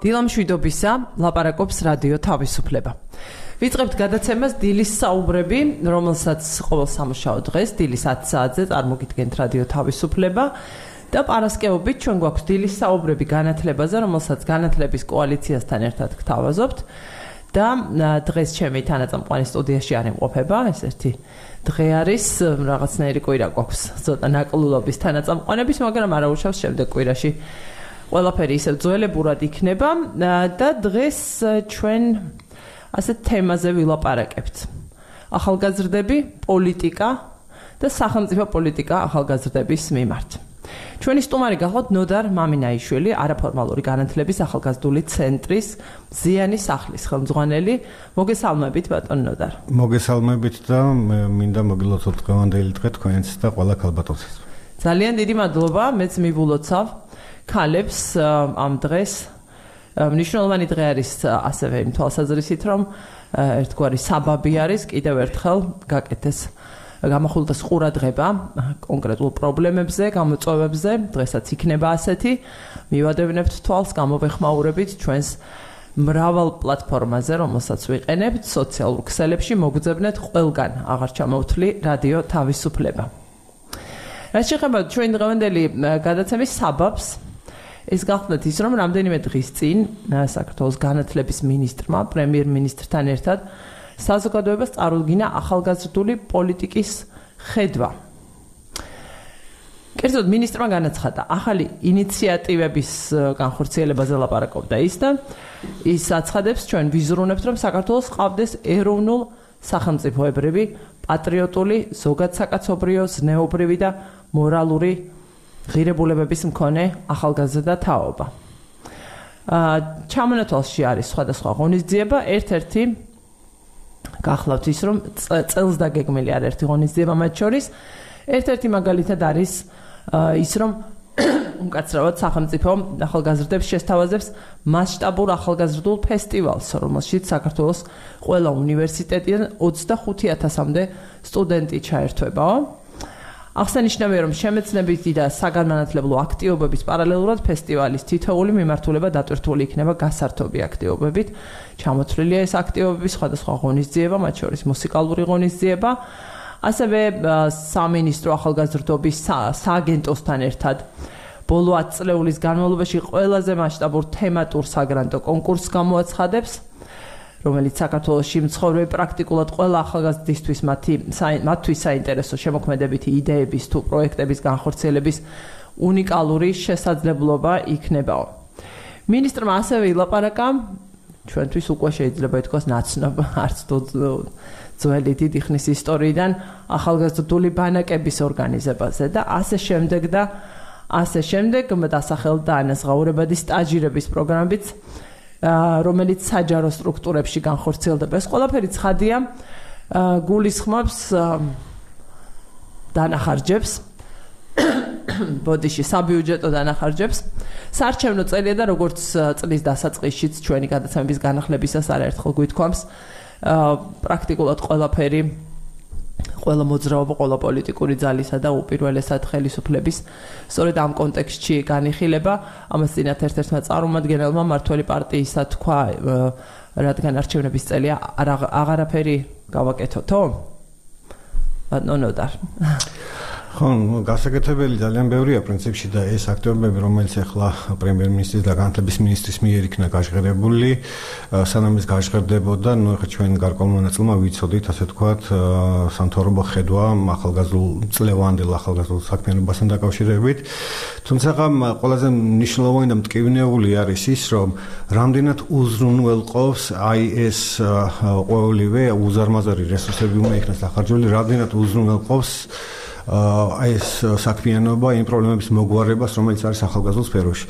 დილამშვიდობისა, ლაპარაკობს რადიო თავისუფლება. ვიწყებთ გადაცემას დილის საუბრები, რომელსაც ყოველ სამუშაო დღეს დილის 10 საათზე წარმოგიდგენთ რადიო თავისუფლება და პარასკევობით ჩვენ გვაქვს დილის საუბრები განათლებაზე, რომელსაც განათლების კოალიციასთან ერთად გთავაზობთ და დღეს ჩემი თანაწამყვანი სტუდიაში არ იმყოფება, ეს ერთი დღე არის რაღაცნაირი კვირა გვაქვს, ცოტა ნაკლულობის თანაწამყვანების, მაგრამ არ აუშავს შემდეგ კვირაში ყველაფერი ისევ ძველებურად იქნება და დღეს ჩვენ ასეთ თემაზე ვილაპარაკებთ. ახალგაზრდები, პოლიტიკა და სახელმწიფო პოლიტიკა ახალგაზრდების მიმართ. ჩვენი სტუმარი გახლავთ ნოდარ მამინაიშვილი, არაფორმალური განათლების ახალგაზრდული ცენტრის ზიანის სახლის ხელმძღვანელი. მოგესალმებით ბატონ ნოდარ. მოგესალმებით და მინდა მოგილოცოთ დღევანდელი დღე თქვენს და ყველა ქალბატონს. ძალიან დიდი მადლობა, მეც მივულოცავ ქალებს ამ დღეს. მნიშვნელოვანი დღე არის ასევე იმ თვალსაზრისით, რომ ერთგვარი საბაბი არის კიდევ ერთხელ გაკეთეს გამახვილდეს ყურადღება კონკრეტულ პრობლემებზე, გამოწვევებზე, დღესაც იქნება ასეთი. მივადევნებთ თვალს, გამოვეხმაურებით ჩვენს მრავალ პლატფორმაზე, რომელსაც ვიყენებთ სოციალურ ქსელებში, მოგძებნეთ ყველგან აღარ ჩამოვთვლი რადიო თავისუფლება. რაც შეეხება ჩვენ დღევანდელი გადაცემის საბაბს, ეს გახლავთ ის, რომ რამდენიმე დღის წინ საქართველოს განათლების მინისტრმა, პრემიერ-მინისტრთან ერთად საზოგადოებას წარუდგინა ახალგაზრდული პოლიტიკის ხედვა. კერძოდ მინისტრმა განაცხადა, ახალი ინიციატივების განხორციელებაზე ლაპარაკობდა ის და ის აცხადებს, ჩვენ ვიზრუნებთ, რომ საქართველოს ყავდეს ეროვნულ სახელმწიფოებრივი, პატრიოტული, ზოგადსაკაცობრიო, ზნეობრივი და მორალური ღირებულებების მქონე ახალგაზრდა თაობა. ჩამონათვალში არის სხვადასხვა ღონისძიება, ერთ-ერთი გახლავთ ის, რომ წელს დაგეგმილი არაერთი ღონისძიება მათ შორის. ერთ-ერთი მაგალითად არის ის, რომ უმკაცრავად სახელმწიფო ახალგაზრდებს შესთავაზებს მასშტაბურ ახალგაზრდულ ფესტივალს, რომელშიც საქართველოს ყველა უნივერსიტეტიდან 25,000-მდე სტუდენტი ჩაერთვებაო. აღსანიშნავია, რომ შემეცნებითი და საგანმანათლებლო აქტივობების პარალელურად ფესტივალის თითოეული მიმართულება დატვირთული იქნება გასართობი აქტივობებით. ჩამოთვლილია ეს აქტივობები, სხვადასხვა ღონისძიება, მათ შორის მუსიკალური ღონისძიება, ასევე სამინისტრო ახალგაზრდობის სააგენტოსთან ერთად ბოლო 10 წლეულის განმავლობაში ყველაზე მასშტაბურ თემატურ საგრანტო კონკურსს გამოაცხადებს, რომელიც საქართველოში მცხოვრები პრაქტიკულად ყველა ახალგაზრდისთვის მათთვის საინტერესო შემოქმედებითი იდეების თუ პროექტების განხორციელების უნიკალური შესაძლებლობა იქნებაო. მინისტრმა ასევე ილაპარაკა, ჩვენთვის უკვე შეიძლება ითქვას ნაცნობ, არც თუ ძველი დიდი ხნის ისტორიიდან ახალგაზრდული ბანაკების ორგანიზებაზე და ასე შემდეგ დასახელდა ანაზღაურებადი სტაჟირების პროგრამებიც, რომელიც საჯარო სტრუქტურებში განხორციელდება. ეს ყველაფერი ცხადია, გულისხმობს დანახარჯებს, ბოდიში საბიუჯეტო დანახარჯებს. საარჩევნო წელია და როგორც წლის დასაწყისშიც ჩვენი გადაცემების განახლებისას არაერთხელ გვითქვამს, პრაქტიკულად ყველაფერი, ყველა მოძრაობა, ყველა პოლიტიკური ძალისა და უპირველესად ხელისუფლების სწორედ ამ კონტექსტში განიხილება. ამას წინათ ერთ-ერთმა წარმომადგენელმა მმართველი პარტიისა თქვა, რადგან არჩევნების წელია აღარაფერი გავაკეთოთო? ბატონ ნოდარ. ხო, გასაკეთებელი ძალიან ბევრია პრინციპში და ეს აქტივობები, რომელიც ახლა პრემიერ-მინისტრის და განათლების მინისტრის მიერ იქნა გაჟღერებული, სანამ ეს გაჟღერდებოდა, ახლა ჩვენ გარკვეულ მონაწილეობა ვიცოდით, ასე ვთქვათ, სამთავრობო ხედვა წლევანდელ ახალგაზრდულ საქმიანობასთან დაკავშირებით. თუმცა ყველაზე მნიშვნელოვანი და მტკივნეული არის ის, რომ რამდენად უზრუნველყოფს ეს ყოველივე უზარმაზარი რესურსები უნდა იქნას დახარჯული, რამდენად უზრუნველყოფს ეს საქმიანობა იმ პრობლემების მოგვარებას, რომელიც არის ახალგაზრდულ სფეროში.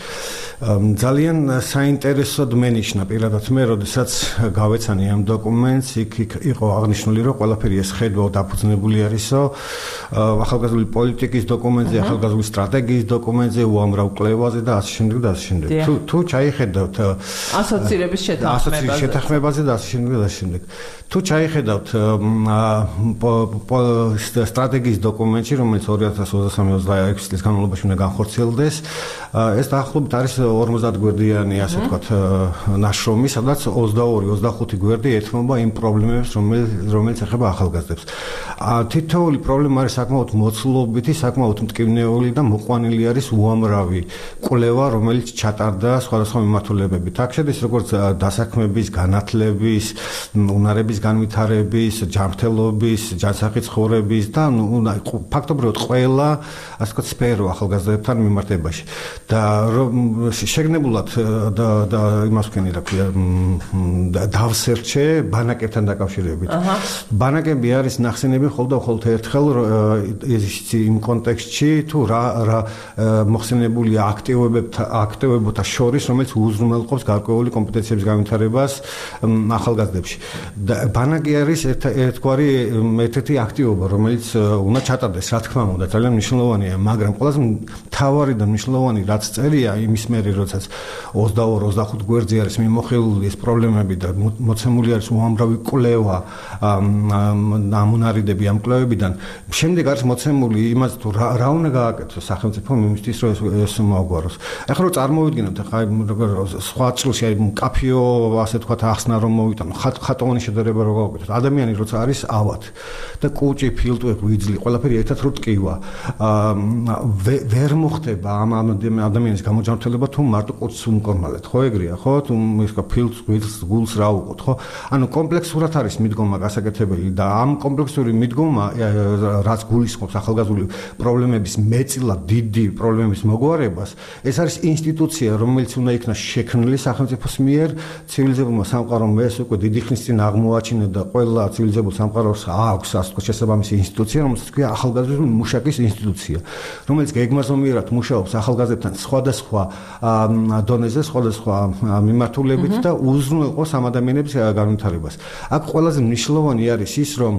ძალიან საინტერესოდ მენიშნა პირადად მე, როდესაც გავეცანი ამ დოკუმენტს, იქ იყო აღნიშნული, რომ ყველაფერი ეს ხედვა დაფუძნებული არისო ახალგაზრდული პოლიტიკის დოკუმენტზე, ახალგაზრდული სტრატეგიის დოკუმენტზე, უამრავ კვლევაზე და ასე შემდეგ და ასე შემდეგ. თუ ჩაიხედავთ ასოცირების შეთანხმებაზე და ასე შემდეგ და ასე შემდეგ. თუ ჩაიხედავთ სტრატეგიის დოკუმენტში, რომელიც 2023-26 წლის განმავლობაში უნდა განხორციელდეს, ეს დაახლოებით არის 50 გვერდიანი ასე ვთქვათ ნაშრომი, სადაც 22-25 გვერდი ეთმობა იმ პრობლემებს, რომელიც ეხება ახალგაზრდებს. თითოეული პრობლემა არის საკმაოდ მოცულობითი, საკმაოდ მტკივნეული და მოყვანილი არის უამრავი კვლევა, რომელიც ჩატარდა სხვადასხვა მიმართულებებით. აქ შედის როგორც დასაქმების, განათლების, უნარების განვითარების, ჯანმრთელობის, ჯანსაღი ცხოვრების და ფაქტობრივად ყველა ასე ვთქვათ სფერო ახალგაზრდებთან მიმართებაში. და შეგნებულად და იმას ვქენი რა ქვია დავსერჩე ბანაკებთან დაკავშირებით. ბანაკები არის ნახსენები მხოლოდ ერთხელ იმ კონტექსტში თუ რა მოხსენებული აქტივებებთან შორის, რომელიც უზრუნველყოფს გარკვეული კომპეტენციების განვითარებას ახალგაზრდებში. ბანაკი არის ერთ-ერთი აქტივობა, რომელიც უნდა ჩატარდეს, რა თქმა უნდა, ძალიან მნიშვნელოვანია, მაგრამ ყველაზე მთავარი და მნიშვნელოვანი რაც წერია იმის მერე, როდესაც 22-25 გვერდზე არის მიმოხილული ეს პრობლემები და მოცემული არის უამრავი კვლევა ამონარიდები ამ კვლევებიდან. შემდეგ არის მოცემული იმას თუ რა უნდა გააკეთოს სახელმწიფო იმისთვის, რომ ეს მოაგვაროს. ახლა რომ წარმოვიდგინოთ, ახლა სხვა წილში აი მკაფიო ასე თქვათ ახსნა რომ მოვიტანო, ხატოვანი შედარება რო გავაკეთოთ. ადამიანი როცა არის ავად და კუჭი, ფილტვი, ღვიძლი, ყველაფერი ერთად რო ტკივა, ვერ მოხდება ამ ადამიანის გამოჯანმრთელება თუ მარტო კუჭს უმკორმალეთ, ხო ეგრეა, ხო? თუ ის ფილტს, ღვიძლს, გულს რა უყოთ, ხო? ანუ კომპლექსურად არის მიდგომა გასაკეთებელი და ამ კომპლექსური მიდგომა, რაც გულისხმობს ახალგაზრდული პრობლემების მეტწილად დიდი პრობლემების მოგვარებას, ეს არის ინსტიტუცია, რომელიც უნდა იქნას შექმნილი სახელმწიფოს მიერ, ცივილიზებულმა სამყარომ ეს უკვე დიდი ხნის წინ აღმოაჩინა და ყველა ცივილიზებულ სამყაროს აქვს ასე ვთქვათ შესაბამისი ინსტიტუცია, რომელსაც ქვია ახალგაზრდული მუშაკის ინსტიტუცია, რომელიც გეგმაზომიერად მუშაობს ახალგაზრდებთან სხვადასხვა დონეზე, სხვადასხვა მიმართულებით და უზრუნველყოფს ამ ადამიანების განვითარებას. აქ ყველაზე მნიშვნელოვანი არის ის, რომ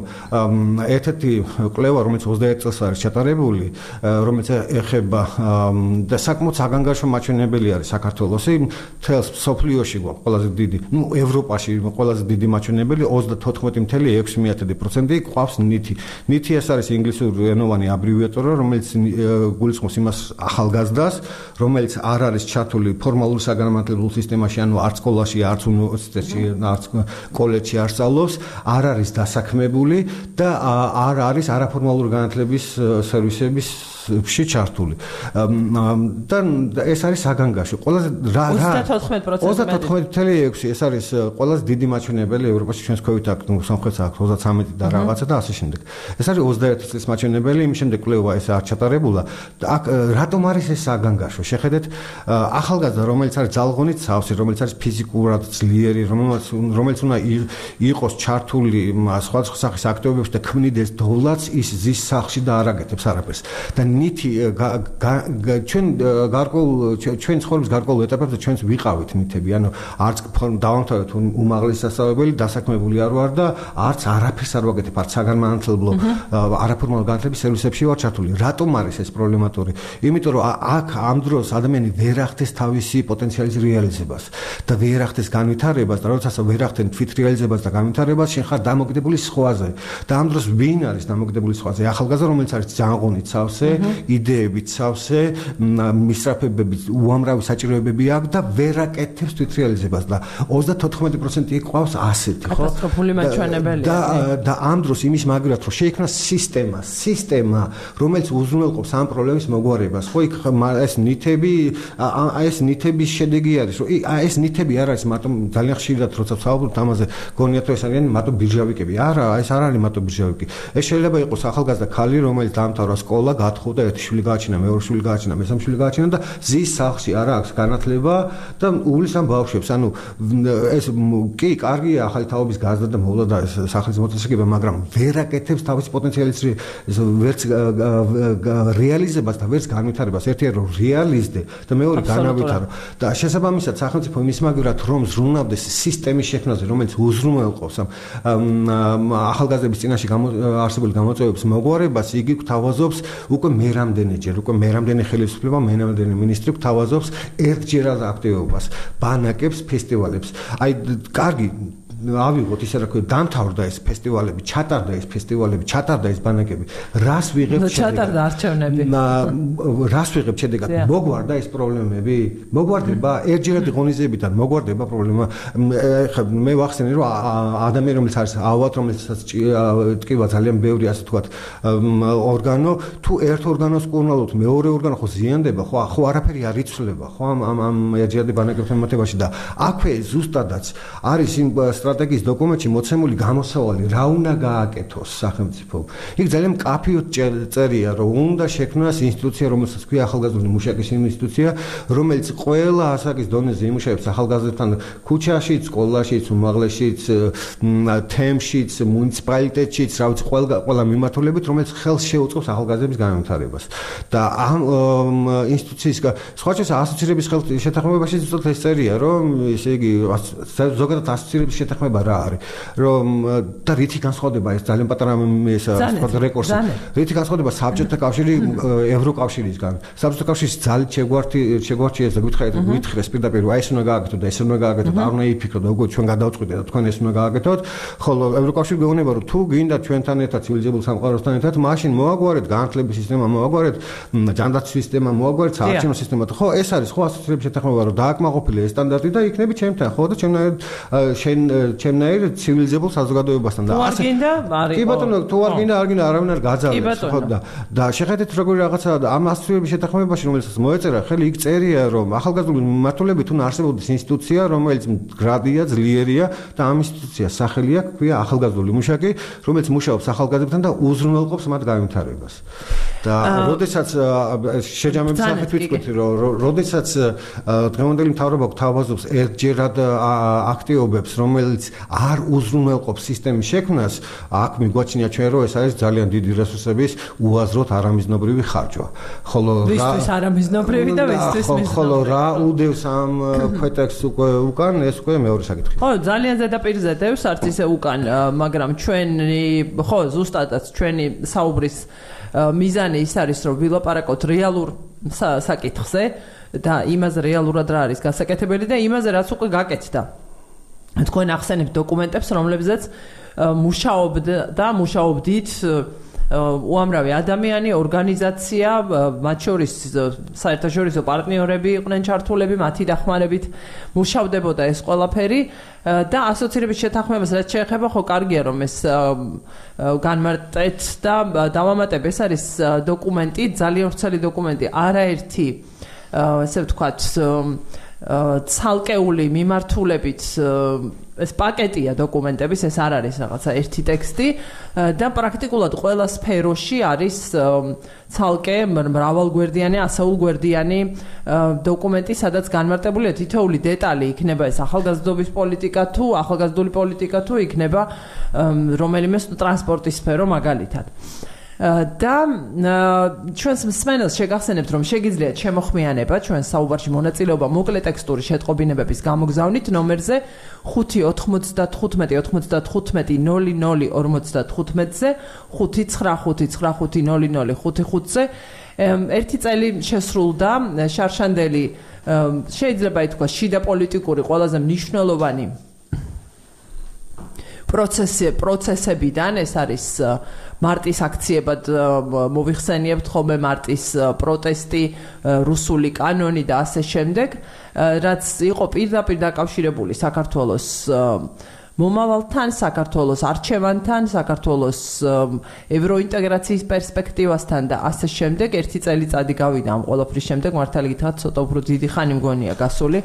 ერთ-ერთი კვლევა, რომელიც 21 წელს არის ჩატარებული, რომელიც ეხება და საკმაოდ საგანგაშო მაჩვენებელი არის საქართველოს, მთელს მსოფლიოში გვაქვს ყველაზე დიდი, ევროპაში ყველაზე დიდი მაჩვენებელი 34.6% გვყავს ნითი. ნითი ეს არის ინგლისური ენოვანი აბრევიატურა, რომელიც გულისხმობს იმას ახალგაზრდას, რომელიც არ არის ჩართული ფორმალურ საგანმანათლებლო სისტემაში, ანუ არც სკოლაში, არც უნივერსიტეტში, არც კოლეჯში არ სწავლობს, არ არის დასაქმებული და არ არის არაფორმალური განათლების სერვისების ჩართული. და ეს არის საგანგაშო. ყველაზე 34.6% ეს არის ყველაზე დიდი მაჩვენებელი ევროპაში, ჩვენს ქვევით აქ სამხრეთს აქვს 33 და რაღაცა და ასე შემდეგ. ეს არის 21 წლის მაჩვენებელი, იმის შემდეგ კვლევა ეს არ ჩატარებულა. აქ რატომ არის ეს საგანგაშო? შეხედეთ, ახალგაზრდა, რომელიც არის ძალღონით სავსე, რომელიც არის ფიზიკურად ძლიერი, რომელიც უნდა იყოს ჩართული სხვადასხვა სახის აქტივობებში და ქმნიდეს დოლაც, ის ზის სახლში და არ აკეთებს არაფერს. და ნითი ჩვენ ცხოვრების გარკვეულ ეტაპებზე ჩვენს ვიყავით ნითები, ანუ არც დავამთავრეთ უმაღლესი სასწავლებელი, დასაქმებული არ ვარ და არც არაფერს არ ვაკეთებ, არც საგანმანათლებლო არაფორმალურ განათლების სერვისებში ვარ ჩართული. რატომ არის ეს პრობლემატური? იმიტომ რომ აქ ამ დროს ადამიანი ვერ ახდენს თავისი პოტენციალის რეალიზებას და ვერ ახდენს განვითარებას და როდესაც ვერ ახდენ თვით რეალიზებას და განვითარებას, შენ ხარ დამოკიდებული სხვაზე. და ამ დროს ვინ არის დამოკიდებული სხვაზე? ახალგაზრდა, რომელიც არის ჯანღონით სავსე, იდეებით სავსე, მისწრაფებებით უამრავი საჭიროებები აქვს და ვერ აკეთებს თვით რეალიზებას და 34% იყვავს ასეთი, ხო? კატასტროფული მაჩვენებელია. და ამ დროს იმის მაგრად რომ შეიქმნა სისტემა, რომელიც უზრუნველყოფს ამ პრობლემის მოგვარებას, ხო? იქ ეს ნითების შედეგი არის, რომ ეს ნითები არ არის მარტო ძალიან ხშირად როცა ვსაუბრობთ ამაზე, გონიათ რომ ეს არიან მარტო ბირჟავიკები. არა, ეს არ არის მარტო ბირჟავიკი. ეს შეიძლება იყოს ახალგაზრდა ქალი, რომელიც დაამთავრა სკოლა, გათხოვდა, ერთი შვილი გააჩინა, მეორე შვილი გააჩინა, მესამე შვილი გააჩინა და ზის სახლში არ აქვს განათლება და უვლის ამ ბავშვებს. ანუ ეს კი კარგია ახალი თაობის გაზრდა და მოვლა და სახლის მოწესრიგება, მაგრამ ვერ აკეთებს თავის პოტენციალის ვერც რეალიზებას და ვერც განვითარებას. ერთია რომ რეალიზდე და მეორე განავითარო. და შესაბამისად სახელმწიფო იმის მაგრად რომ ზრუნავდეს სისტემის შექმნაზე, რომელიც უზრუნველყოფს ახალგაზრდების წინაშე არსებული გამოწვევების მოგვარებას, იგი გვთავაზობს უკვე მერამდენეჯერ, უკვე მერამდენე ხელისუფლება, მერამდენე მინისტრი გვთავაზობს ერთჯერად აქტივობას, ბანაკებს, ფესტივალებს. აი, კარგი ავიღოთ ისე რა ქვია დამთავრდა ეს ფესტივალები, ჩატარდა ეს ბანაკები. რას ვიღებთ შედეგად? ჩატარდა არჩევნები. რას ვიღებთ შედეგად? მოგვარდა ეს პრობლემები? მოგვარდება ერთჯერადი ღონისძიებიდან მოგვარდება პრობლემა. ეხლა მე ვახსენე რომ ადამიანი რომელიც არის ავად რომელსაც ტკივა ძალიან ბევრი ასე თქვათ ორგანო თუ ერთ ორგანოს კურნალობთ მეორე ორგანო ხო ზიანდება ხო არაფერი არ იცვლება ხო ამ ერთჯერადი ბანაკებთან მიმართებაში და აქვე ზუსტადაც არის იმ სტრატეგიის დოკუმენტში მოცემული გამოსავალი რა უნდა გააკეთოს სახელმწიფო იქ ძალიან მკაფიოდ წერია რომ უნდა შექმნას ინსტიტუცია რომელსაც ქვია ახალგაზრდული მუშაკის ინსტიტუცია რომელიც ყველა ასაკის დონეზე იმუშავებს ახალგაზრდებთან ქუჩაშიც სკოლაშიც უმაღლესშიც თემშიც მუნიციპალიტეტშიც რა ვიცი ყველა მიმართულებით რომელიც ხელს შეუწყობს ახალგაზრდების განვითარებას და ამ ინსტიტუციის სხვაჩას ასოცირების შეთანხმებაში ზუსტად ეს წერია რომ ესე იგი ზოგადად ასოცირების შეთანხმება რა არის რომ და რითი განსხვავდება ეს ძალიან პატარა ეს რეკურსი რითი განსხვავდება საბჭოთა კავშირი ევროკავშირისგან საბჭოთა კავშირის ძალით შეგვარჩიეს და გითხრეს პირდაპირ აი ეს უნდა გააკეთოთ და ეს უნდა გააკეთოთ არ უნდა იფიქროთ და უკვე ჩვენ გადავწყვიტეთ და თქვენ ეს უნდა გააკეთოთ ხოლო ევროკავშირი გეუბნება რომ თუ გინდა ჩვენთან ერთად ცივილიზებულ სამყაროსთან ერთად მაშინ მოაგვარეთ განათლების სისტემა მოაგვარეთ ჯანდაცვის სისტემა მოაგვარეთ საარჩევნო სისტემა ხო ეს არის ხო ასოცირების შეთანხმება რომ დააკმაყოფილე ეს სტანდარტი და იქნები ჩემთან ხო და ჩემნაირ ცივილიზებულ საზოგადოებასთან და ასე კი ბატონო თუ არ გინდა არავინ არ გაძალებს ხო და შეხედეთ როგორი რაღაცა ამ ასოცირების შეთანხმებაში რომელსაც მოეწერა ხელი იქ წერია რომ ახალგაზრდული მიმართულებით უნდა არსებობდეს ინსტიტუცია რომელიც მდგრადია ძლიერია და ამ ინსტიტუციას სახელი აქვს ქვია ახალგაზრდული მუშაკი რომელიც მუშაობს ახალგაზრდებთან და უზრუნველყოფს მათ განვითარებას და როდესაც შეჯამების სახით ვიტყვით რომ როდესაც დღევანდელი მთავრობა გვთავაზობს ერთჯერად აქტიობებს რომელიც არ უზრუნველყოფს სისტემის შექმნას აქ მიგვაჩნია ჩვენ რომ ეს არის ძალიან დიდი რესურსების უაზროდ არამიზნობრივი ხარჯვა ხოლო ვისთვის არამიზნობრივი და ვისთვის მიზნობრივი ხოლო რა უდევს ამ ქვეტექსტს უკან ეს უკვე მეორე საკითხია ხო ძალიან ზედაპირზე დევს არც ისე უკან მაგრამ ჩვენი ხო ზუსტადაც ჩვენი საუბრის მიზანი ის არის რომ ვილაპარაკოთ რეალურ საკითხზე და იმაზე რეალურად რა არის გასაკეთებელი და იმაზე რაც უკვე გაკეთდა თქვენ ახსენებთ დოკუმენტებს რომლებზეც მუშაობდით უამრავი ადამიანი, ორგანიზაცია, მათ შორის საერთაშორისო პარტნიორები იყვნენ ჩართულები, მათი დახმარებით მუშავდებოდა ეს ყველაფერი და ასოცირების შეთანხმებას რაც შეეხება, ხო კარგია რომ ეს განმარტეთ და დავამატებ, ეს არის დოკუმენტი, ძალიან ვრცელი დოკუმენტი, არაერთი ესე ვთქვათ ცალკეული მიმართულებით ეს პაკეტია დოკუმენტების, ეს არ არის რაღაცა ერთი ტექსტი და პრაქტიკულად ყველა სფეროში არის ცალკე მრავალგვერდიანი, ასეულგვერდიანი დოკუმენტი, სადაც განმარტებულია თითოეული დეტალი, იქნება ეს ახალგაზრდობის პოლიტიკა თუ ახალგაზრდული პოლიტიკა თუ იქნება რომელიმე ტრანსპორტის სფერო მაგალითად. და ჩვენს მსმენელს შეგახსენებთ რომ შეგიძლიათ შემოხმიანება ჩვენს საუბარში მონაწილეობა მოკლე ტექსტური შეტყობინებების გამოგზავნით ნომერზე 595-95-00-55-00-ზე 595-95-00-55-ზე ერთი წელი შესრულდა შარშანდელი შეიძლება ითქვას შიდა პოლიტიკური ყველაზე მნიშვნელოვანი პროცესებიდან ეს არის მარტის აქციებად მოვიხსენიებთ ხოლმე მარტის პროტესტი, რუსული კანონი და ასე შემდეგ, რაც იყო პირდაპირ დაკავშირებული საქართველოს მომავალთან, საქართველოს არჩევანთან, საქართველოს ევროინტეგრაციის პერსპექტივასთან და ასე შემდეგ. ერთი წელიწადი გავიდა ამ ყველაფრის შემდეგ, მართალი გითხრათ, ცოტა უფრო დიდი ხანი მგონია გასული.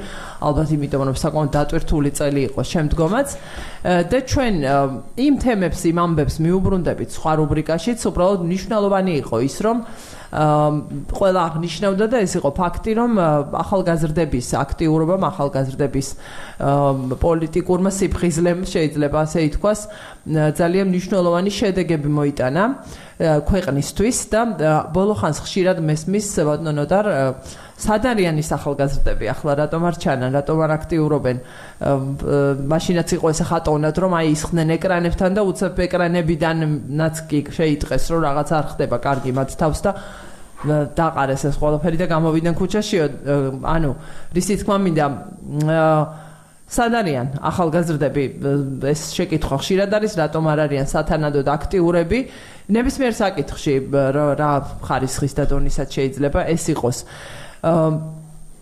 ალბათ იმიტომ რომ საკმაოდ დატვირთული წელი იყო შემდგომაც. და ჩვენ იმ თემებს, იმ ამბებს მიუბრუნდებით სხვა რუბრიკაშიც, უბრალოდ მნიშვნელოვანი იყო ის, რომ ყველა აღნიშნავდა და ეს იყო ფაქტი, რომ ახალგაზრდების აქტიურობამ, ახალგაზრდების პოლიტიკურმა სიფხიზლემ შეიძლება ასე ითქვას, ძალიან მნიშვნელოვანი შედეგები მოიტანა ქვეყნისთვის და ბოლო ხანს ხშირად მესმის ბატონოდარ სად არიან ის ახალგაზრდები ახლა რატომ არ ჩანან, რატომ არ აქტიურობენ მაშინაც იყო ესე ხატოვნად რომ აი ისხდნენ ეკრანებთან და უცებ ეკრანებიდანაც კი შეიტყეს რომ რაღაც არ ხდება კარგი მათ თავს და დაყარეს ეს ყველაფერი და გამოვიდნენ ქუჩაში ანუ რისი თქმა მინდა სად არიან ახალგაზრდები ეს შეკითხვა ხშირად არის რატომ არ არიან სათანადოდ აქტიურები ნებისმიერ საკითხში რა ხარისხის და დონისაც შეიძლება ეს იყოს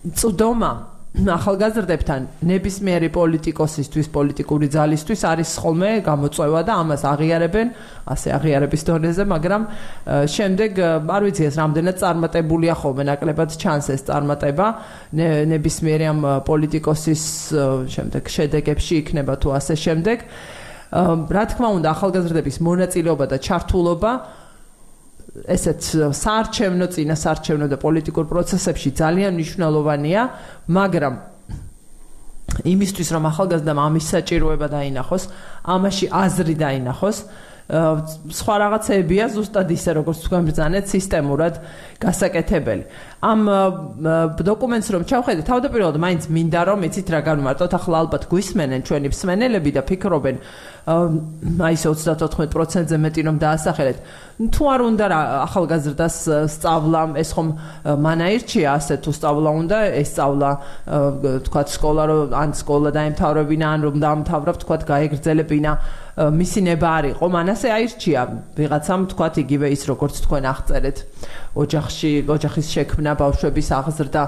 წვდომა ახალგაზრდებთან ნებისმიერი პოლიტიკოსისთვის პოლიტიკური ძალისთვის არის ხოლმე გამოწვევა და ამას აღიარებენ ასე აღიარების დონეზე მაგრამ შემდეგ არ ვიცი ეს რამდენად წარმატებულია ხოლმე ნაკლებად ჩანს ეს წარმატება ნებისმიერი ამ პოლიტიკოსის შემდეგ შედეგებში იქნება თუ ასე შემდეგ რა თქმა უნდა ახალგაზრდების მონაწილეობა და ჩართულობა ესეც საარჩევნო და პოლიტიკურ პროცესებში ძალიან მნიშვნელოვანია, მაგრამ იმისთვის რომ ახალგაზრდამ ამის საჭიროება დაინახოს, ამაში აზრი დაინახოს, სხვა რაღაცებია ზუსტად ისე როგორც თქვენ ბრძანეთ სისტემურად გასაკეთებელი. ამ დოკუმენტს რომ ჩავხედეთ, თავდაპირველად მაინც მინდა რომ იცით რა განმარტოთ, ახლა ალბათ გვისმენენ ჩვენი მსმენელები და ფიქრობენ აი 34%-ზე მეტი რომ დაასახელეთ. თუ არ უნდა რა ახალგაზრდას სწავლა, ეს ხომ მანაირჩია, ასე თუ სწავლა უნდა, ეს სწავლა თქვათ სკოლა რომ ან სკოლა დაემთავრებინა, ან რომ დაამთავრა, თქვათ გაეგრძელებინა მისი ნება არ იყო, მანასე აირჩია ვიღაცამ თქვათ იგივე ის როგორც თქვენ აღწერეთ ოჯახის შექმნა, ბავშვების აღზრდა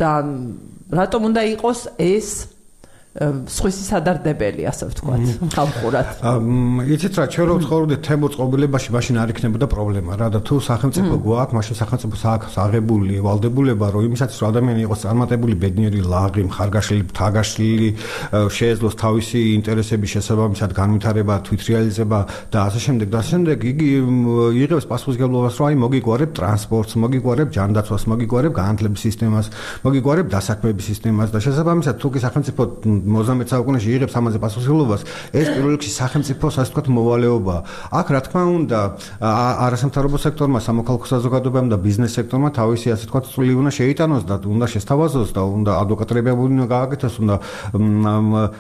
და რატომ უნდა იყოს ეს სხვისი სადარდებელი ასე ვთქვათ ხალხურად. იცით რა ჩვენ რო ცხოვრობდით თემურ წყობილებაში მაშინ არ იქნებოდა პრობლემა რა და თუ სახელმწიფო გვაქვს მაშინ სახელმწიფოს აქვს აღებული ვალდებულება რომ იმისაც რომ ადამიანი იყოს წარმატებული ბედნიერი ლაღი მხარგაშლილი თაგაშლილი შეეძლოს თავისი ინტერესების შესაბამისად განვითარება თვითრეალიზება და ასე შემდეგ იგი იღებს პასუხისმგებლობას რომ აი მოგიგვარებ ტრანსპორტს მოგიგვარებ ჯანდაცვას მოგიგვარებ განათლების სისტემას მოგიგვარებ დასაქმების სისტემას და შესაბამისად თუ კი სახელმწიფო 19 საუკუნეში იღებს ამაზე პასუხისმგებლობას ეს პირველ რიგში სახელმწიფოს ასე ვთქვათ მოვალეობა აქ რა თქმა უნდა არასამთავრობო სექტორმა სამოქალაქო საზოგადოებამ და ბიზნეს სექტორმა თავისი ასე ვთქვათ წვლილი უნდა შეიტანოს და უნდა შესთავაზოს და უნდა ადვოკატირება უნდა გააკეთოს უნდა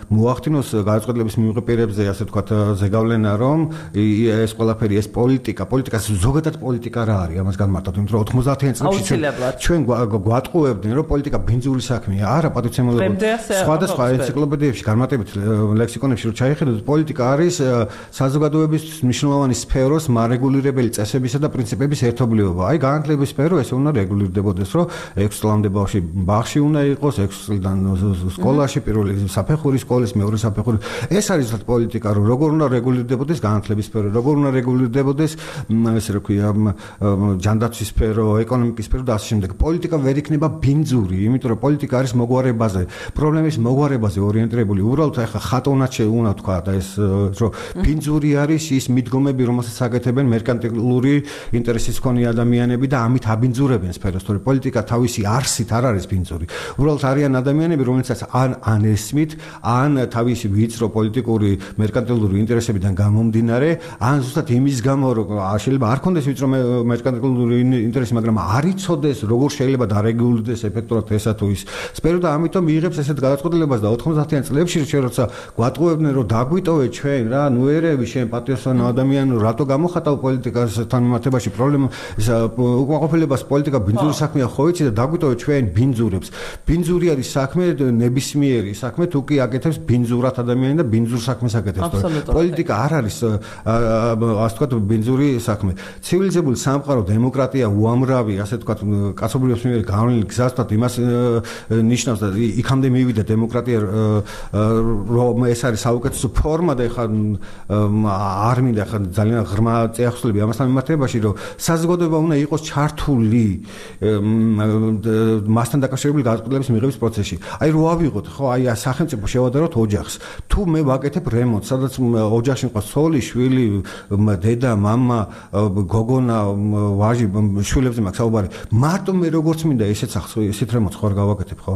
მოახდინოს გადაწყვეტილების მიღებებზე ასე ვთქვათ ზეგავლენა რომ ეს ყველაფერი ეს პოლიტიკა ზოგადად პოლიტიკა რა არის ამას განმარტოთ იმიტომ რომ 90-იან წლებში ჩვენ გვატყუებდნენ რომ პოლიტიკა ბინძური საქმეა არა პატივცემულობა სხვადასხვა ენციკლოპედიებში განმარტებით ლექსიკონებში რომ ჩაიხედოთ პოლიტიკა არის საზოგადოების მნიშვნელოვანი სფეროს მარეგულირებელი წესებისა და პრინციპების ერთობლიობა. აი განათლების სფერო ესე უნდა რეგულირდებოდეს, რომ 6 წლამდე ბავშვი უნდა იყოს, 6 წლიდან სკოლაში, პირველი საფეხურის სკოლის, მეორე საფეხური. ეს არის პოლიტიკა, რომ როგორ უნდა რეგულირდებოდეს განათლების სფერო, როგორ უნდა რეგულირდებოდეს ესე რა ქვია ჯანდაცვის სფერო, ეკონომიკის სფერო და ასე შემდეგ. პოლიტიკა ვერ იქნება ბინძური, იმიტომ რომ პოლიტიკა არის მოგვარებაზე. პრობლემის მოგვარებაზე ორიენტირებული. უბრალოდ ახლა ხატონად შეუნა თქვა და ეს რომ ბინძური არის ის მიდგომები, რომელსაც აკეთებენ მერკანტილური ინტერესის მქონე ადამიანები და ამით აბინძურებენ სფეროს. თორე პოლიტიკა თავისი არსით არ არის ბინძური. უბრალოდ არიან ადამიანები, რომელსაც ან ესმით, ან თავისი ვიწრო პოლიტიკური მერკანტილური ინტერესებიდან გამომდინარე, ან ზუსტად იმის გამო, რომ შეიძლება არ ქონდეს ვიწრო მერკანტილური ინტერესი, მაგრამ არ იცოდეს, როგორ შეიძლება დარეგულირდეს ეფექტურად ესა თუ ის სფერო და ამიტომ იღებს ესეთ გადაწყვეტილებას და 90-იან წლებში ჩვენ როცა გვატყუებდნენ რომ დაგვიტოვე ჩვენ რა ნუ ერევი შენ პატრიოტსო ადამიანი რატო გამოხატავ პოლიტიკასთან მიმართებაში პრობლემა უკმაყოფილებას პოლიტიკა ბინძური საქმეა ხო იცი და დაგვიტოვე ჩვენ ბინძურებს ბინძური არის საქმე ნებისმიერი საქმე თუ კი აკეთებს ბინძურად ადამიანი და ბინძურ საქმეს აკეთებს პოლიტიკა არ არის ასე ვთქვათ ბინძური საქმე ცივილიზებული სამყარო დემოკრატია უამრავი ასე ვთქვათ კაცობრიობის მიერ გავლენილი გზას ვთქვათ იმას ნიშნავს და იქამდე მივიდა დემოკრატია რომ ეს არის საუკეთესო ფორმა და ეხლა არ მინდა ხა ძალიან ღრმა წეახსვლები ამასთან მიმართებაში რომ საზოგადოება უნდა იყოს ჩართული მასთან დაკავშირებული გადაწყვეტილების მიღების პროცესში. აი რო ავიღოთ ხო აი სახელმწიფო შევადაროთ ოჯახს. თუ მე ვაკეთებ რემონტს, სადაც ოჯახში მყავს ცოლი, შვილი, დედა, მამა, გოგონა, ვაჟი, შვილებზე მაქვს საუბარი. მარტო მე როგორც მინდა ესეთ რემონტს ხო არ გავაკეთებ ხო?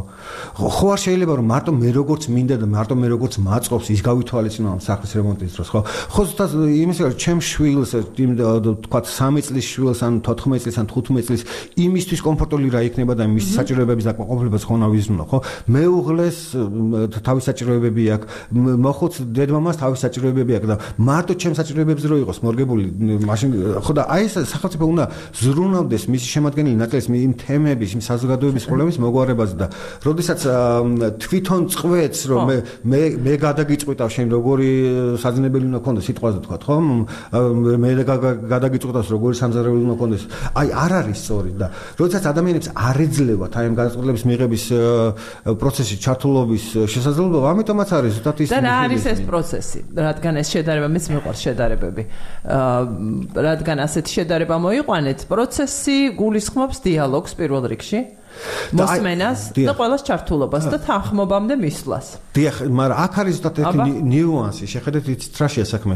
ხო არ შეიძლება რომ მარტო მე როგორც მინდა და მარტო მე როგორც მაწყობს ის გავითვალისწინო ამ სახლის რემონტის დროს ხო? ხო ზუსტად იმის რა ჩემ შვილს თქვა 3 წლის შვილს ან 14 წლის ან 15 წლის იმისთვის კომფორტული რა იქნება და მის საჭიროებების დაკმაყოფილებას ხო ნავიზნო ხო? მეუღლეს თავის საჭიროებები აქვს, მოხუც დედმამას თავის საჭიროებები აქვს და მარტო ჩემ საჭიროებებზე რო იყოს მორგებული მაშინ ხო და აი ეს სახელმწიფო უნდა ზრუნავდეს მისი შემადგენელი ნაწილის იმ თემების, იმ საზოგადოების პრობლემის მოგვარებაზე და როდესაც თვითონ წვე აკეთებს რომ მე გადაგიწყვიტავ შენ როგორი საძინებელი უნდა ქონდეს სიტყვაზე თქვა ხო მე გადაგიწყვიტავს როგორი სამზარეულო უნდა ქონდეს აი არ არის სწორი და როდესაც ადამიანებს არ ეძლებათ აი ამ გადაწყვეტილების მიღების პროცესში ჩართულობის შესაძლებლობა ამიტომაც არის ზუსტად ის და რა არის ეს პროცესი რადგან ეს შედარება მეც მიყვარს შედარებები რადგან ასეთი შედარება მოიყვანეთ პროცესი გულისხმობს დიალოგს პირველ რიგში მოსმენას და ყველას ჩართულობას და თანხმობამდე მისვლას. დიახ, მაგრამ აქ არის ზუსტად ერთი ნიუანსი, შეხედეთ იცით რაშია საქმე.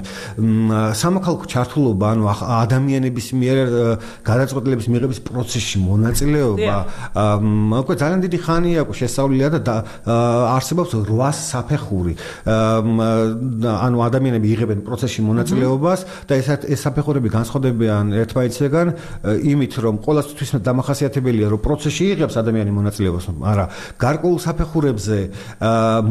სამოქალაქო ჩართულობა, ანუ ადამიანების მიერ გადაწყვეტილების მიღების პროცესში მონაწილეობა, უკვე ძალიან დიდი ხანია შესწავლილია და არსებობს 8 საფეხური. ანუ ადამიანები იღებენ პროცესში მონაწილეობას და ეს საფეხურები განსხვავდებიან ერთმანეთისგან იმით, რომ ყოველთვის დამახასიათებელია, რომ პროცესში ადამიანი მონაწილეობას, მაგრამ გარკვეულ საფეხურებზე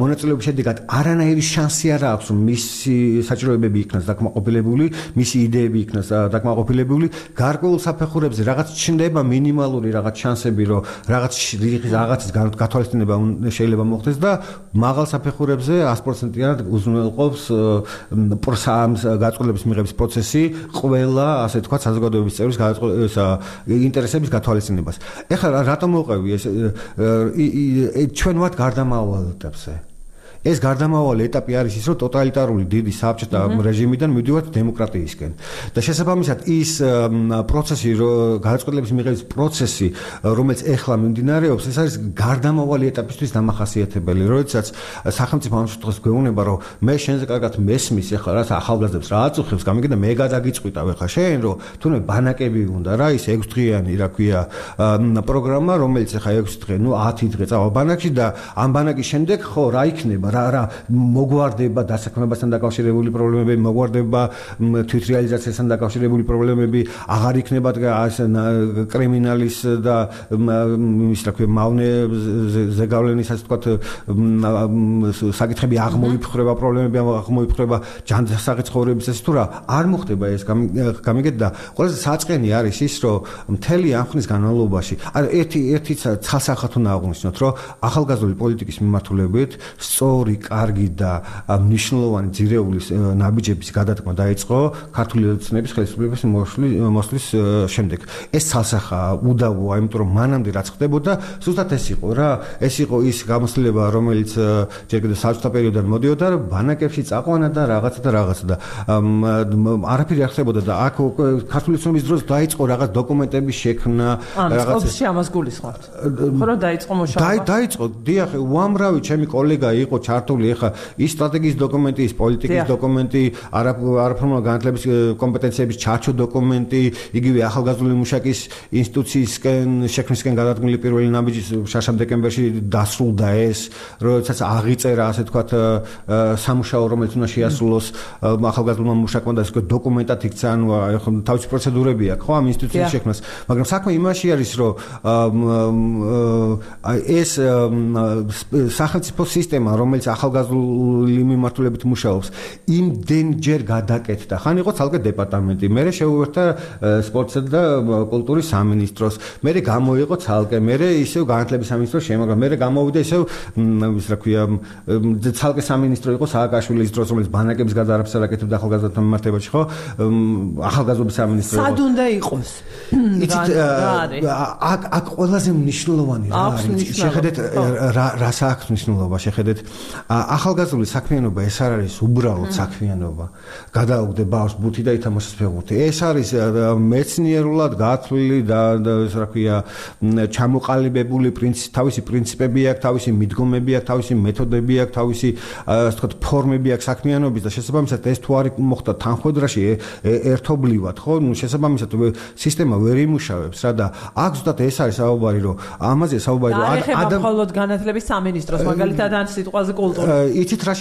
მონაწილეობის შედეგად არანაირი შანსი არ აქვს, რომ მისი საჭიროებები იქნას დაკმაყოფილებული, მისი იდეები იქნას დაკმაყოფილებული. გარკვეულ საფეხურებზე რაღაც ჩნდება მინიმალური რაღაც შანსები, რომ რაღაცის გათვალისწინება შეიძლება მოხდეს და მაღალ საფეხურებზე 100%-იანად უზრუნველყოფს გადაწყვეტილების მიღების პროცესი ყველა, ასე თქვა, საზოგადოების წევრის ინტერესების გათვალისწინებას. ეხლა რატომ ჩვენ ვართ გარდამავალ ეტაპზე. ეს გარდამავალი ეტაპი არის ის, რომ ტოტალიტარული დიდი საბჭოთა რეჟიმიდან მივდივართ დემოკრატიისკენ. და შესაბამისად ის პროცესი, გადაწყვეტილების მიღების პროცესი, რომელიც ეხლა მიმდინარეობს, ეს არის გარდამავალი ეტაპისთვის დამახასიათებელი. როდესაც სახელმწიფო ამ შემთხვევაში გვეუბნება, რომ მე შენზე კარგად მესმის, ეხლა რა ახალგაზრდებს რა აწუხებს, გამიგე და მე გადაგიწყვიტავ ეხლა შენ, რომ თუნდაც ბანაკები უნდა რა, ის 6 დღიანი, რა ქვია, პროგრამა, რომელიც ეხლა 6 დღე, 10 დღე წავა ბანაკში და ამ ბანაკის შემდეგ ხო რა იქნება რა მოგვარდება დასაქმებასთან დაკავშირებული პრობლემები, მოგვარდება თვითრეალიზაციასთან დაკავშირებული პრობლემები, აღარ იქნება კრიმინალის და ის რა ქვია მავნე ზეგავლენის ასე ვთქვათ საკითხები აღმოიფხრება, პრობლემები აღმოიფხრება, ჯანდაცაღი ცხოვრების ეს თუ რა არ მოხდება ეს გამიგეთ და ყველაზე საწყენი არის ის, რომ მთელი ამ ხნის განმავლობაში ერთი ცალსახად უნდა აღვნიშნოთ, რომ ახალგაზრდული პოლიტიკის მიმართულებით სწორი, კარგი და მნიშვნელოვანი ძირეულის ნაბიჯების გადადგმა დაიწყო ქართული ოცნების ხელისუფლების მოსვლის შემდეგ. ეს ცალსახაა უდავოა, იმიტომ რომ მანამდე რაც ხდებოდა, ზუსტად ეს იყო რა. ეს იყო ის გამოცდილება, რომელიც ჯერ კიდევ საბჭოთა პერიოდიდან მოდიოდა, ბანაკებში წაყვანა და რაღაცა და არაფერი არ ხდებოდა და აქ ქართული ოცნების დროს დაიწყო რაღაც დოკუმენტების შექმნა, რაღაც ამას გულისხმობთ. ხო რომ დაიწყო მუშაობა. დაიწყო, დიახ, უამრავი ჩემი კოლეგა იყო ჩართული ეხა ის სტრატეგიის დოკუმენტი, ის პოლიტიკის დოკუმენტი, არაფორმალ განათლების კომპეტენციების ჩარჩო დოკუმენტი, იგივე ახალგაზრდული მუშაკის ინსტიტუციისკენ შექმნისკენ გადადგმული პირველი ნაბიჯის შაშამ დეკემბერში დასრულდა ეს, როდესაც აღიწერა ასე ვთქვათ სამუშაო, რომელიც უნდა შეასრულოს ახალგაზრდულმა მუშაკმა და ეს დოკუმენტად იქცა, ანუ თავისი პროცედურები აქვს ხო ამ ინსტიტუციის შექმნას, მაგრამ საქმე იმაში არის, რომ ეს სახელმწიფო სისტემა, რომელიც ახალგაზრდული მიმართულებით მუშაობს, იმდენჯერ გადაკეთდა. ხან იყო ცალკე დეპარტამენტი, მერე შეუერთდა სპორტსა და კულტურის სამინისტროს, მერე გამოიყო ცალკე, მერე ისევ განათლების სამინისტროს შემოგრა, მერე გამოვიდა ისევ ის რა ქვია ცალკე სამინისტრო იყო სააკაშვილის დროს, რომელიც ბანაკების გადაარაფს აკეთებდა ახალგაზრდათა მიმართებაში, ხო? ახალგაზრდობის სამინისტრო. სად უნდა იყოს? აქ ყველაზე მნიშვნელოვანი რა არის? შეხედეთ რა საქმე მნიშვნელობა, შეხედეთ ახალგაზრდული საქმიანობა ეს არ არის უბრალოდ საქმიანობა. გადაუგდე ბავშვს ბუთი და ითამაშოს ფეხბურთი. ეს არის მეცნიერულად გათვლილი და ეს რა ქვია ჩამოყალიბებული თავისი პრინციპები აქვს, თავისი მიდგომები აქვს, თავისი მეთოდები აქვს, თავისი ასე ვთქვათ ფორმები აქვს საქმიანობის და შესაბამისად ეს თუ არ მოხდა თანხმედრაში ერთობლივად, ხო? ნუ შესაბამისად სისტემა ვერ იმუშავებს რა და აქ ზუსტად ეს არის საუბარი, რომ ამაზე საუბარი რომ მხოლოდ განათლების სამინისტროს მაგალითად ან სიტყვაზე კულტურა. იცით რა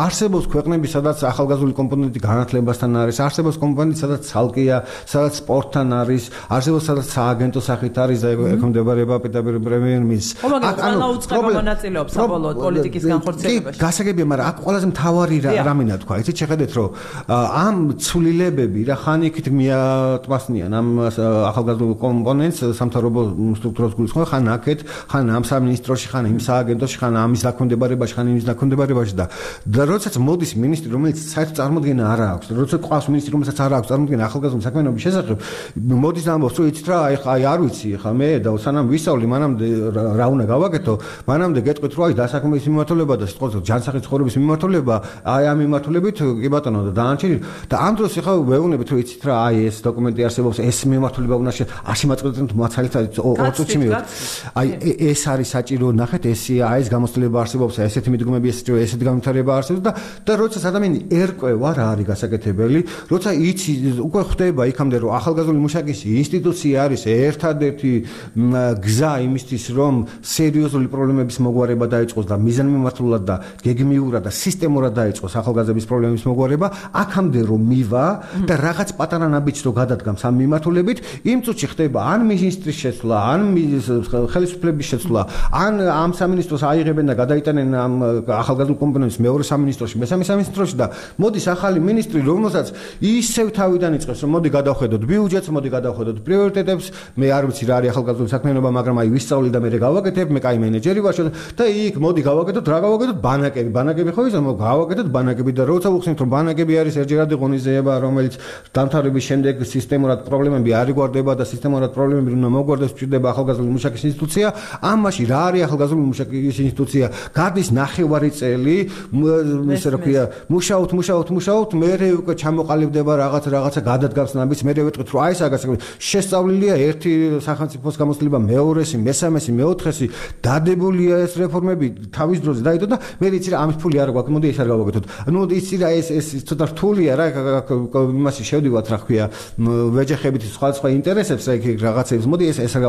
არსებობს ქვეყნები, სადაც ახალგაზრდული კომპონენტი განათლებასთან არის, არსებობს კომპონენტი, სადაც ცალკეა, სადაც სპორტთან არის, არსებობს სადაც სააგენტო სახით არის და ექვემდებარება პრემიერ-მინისტრს. აქ ანუ უწყება მონაწილეობს საბოლოოდ პოლიტიკის განხორციელებაში. გასაგებია, მაგრამ აქ ყველაზე მთავარი რამინა თქვა, იცით შეხედეთ, რომ ამ ცვლილებები რა ხან იქით მიატმასნიან ამ ახალგაზრდულ კომპონენტს სამთავრობო სტრუქტურას გულისხმობ, ხან აქეთ, ხან ამ სამინისტროში, ხან იმ სააგენტოში, ხან ამის დაქვემდებარებაში, ხან თან იმის დაქვემდებარებაში და როდესაც მოდის მინისტრი, რომელიც საერთოდ წარმოდგენა არ აქვს, როდესაც ყავს მინისტრი, რომელსაც არ აქვს წარმოდგენა ახალგაზრდული საქმიანობის შესახებ, მოდის და ამბობს, რომ იცით რა, აი არ ვიცი, ხა მე და სანამ ვისწავლი, მანამდე რა უნდა გავაკეთო, მანამდე გეტყვით, რომ აი დასაქმების მიმართულება და სიტყვაზე ჯანსაღი ცხოვრების მიმართულება, აი ამ მიმართულებით კი ბატონო და დაანჩენილი და ამ დროს ხა ვეუბნებით, რომ იცით რა, აი ეს დოკუმენტი არსებობს, ეს მიმართულება უნდა შემაწყვეტოთ მაცალითად 2 წუთში მივიდეთ. აი ეს არის საჭირო, ნახეთ, აი ეს გამოცდილება არსებობს, ესეთი მიდგომები, ესეთი განვითარება არსებობს და როცა ადამიანი ერკვევა რა არის გასაკეთებელი, როცა იცი უკვე ხდება იქამდე რომ ახალგაზრდული მუშაკის ინსტიტუცია არის ერთადერთი გზა იმისთვის რომ სერიოზული პრობლემების მოგვარება დაიწყოს და მიზანმიმართულად და გეგმიურად და სისტემურად დაიწყოს ახალგაზრდების პრობლემების მოგვარება, აქამდე რომ მივა და რაღაც პატარა ნაბიჯს რო გადადგამს ამ მიმართულებით, იმ წუთში ხდება ან მინისტრის შეცვლა, ან ხელისუფლების შეცვლა, ან ამ სამინისტროს აიღებენ და გადაიტანენ ამ ახალგაზრდულ კომპონენტს მეორე სამინისტროში, მესამე სამინისტროში და მოდის ახალი მინისტრი, რომელსაც ისევ თავიდან იწყებს, რომ მოდი გადავხედოთ ბიუჯეტს, მოდი გადავხედოთ პრიორიტეტებს, მე არ ვიცი რა არის ახალგაზრდული საქმიანობა, მაგრამ აი ვისწავლი და მე გავაკეთებ, მე კაი მენეჯერი ვარ და იქ მოდი გავაკეთოთ, რა გავაკეთოთ, ბანაკები ხო ისა, გავაკეთოთ ბანაკები და როცა ვუხსნით, რომ ბანაკები არის ერთჯერადი ღონისძიება, რომელიც დამთავრების შემდეგ სისტემურად პრობლემები არ იგვარდება და სისტემურად პრობლემები უნდა მოგვარდეს, ჭირდება ახალგაზრდული მუშაკის ინსტიტუცია, ამაში რა არის ახალგაზრდული მუშაკის ინსტიტუცია, გადის 9 წელი, ესე რა ქვია, მუშაობთ, მერე უკვე ჩამოყალიბდება რაღაცა გადადგამს ნაბიჯს, მერე ვეტყვით, რომ აი ეს შესწავლილია ერთი სახელმწიფოს გამოცდილება, მეორესი, მესამესი, მეოთხესი, დადებულია ეს რეფორმები თავის დროზე დაიდო და მე იცი რა ამის ფული არ გვაქვს, მოდი ეს არ გავაკეთოთ. ნუ იცი რა ეს ცოტა რთულია რა, იმაში შევდივართ რა ქვია, ვეჯახებით სხვა ინტერესებს, რა რაღაცებს, მოდი ეს არ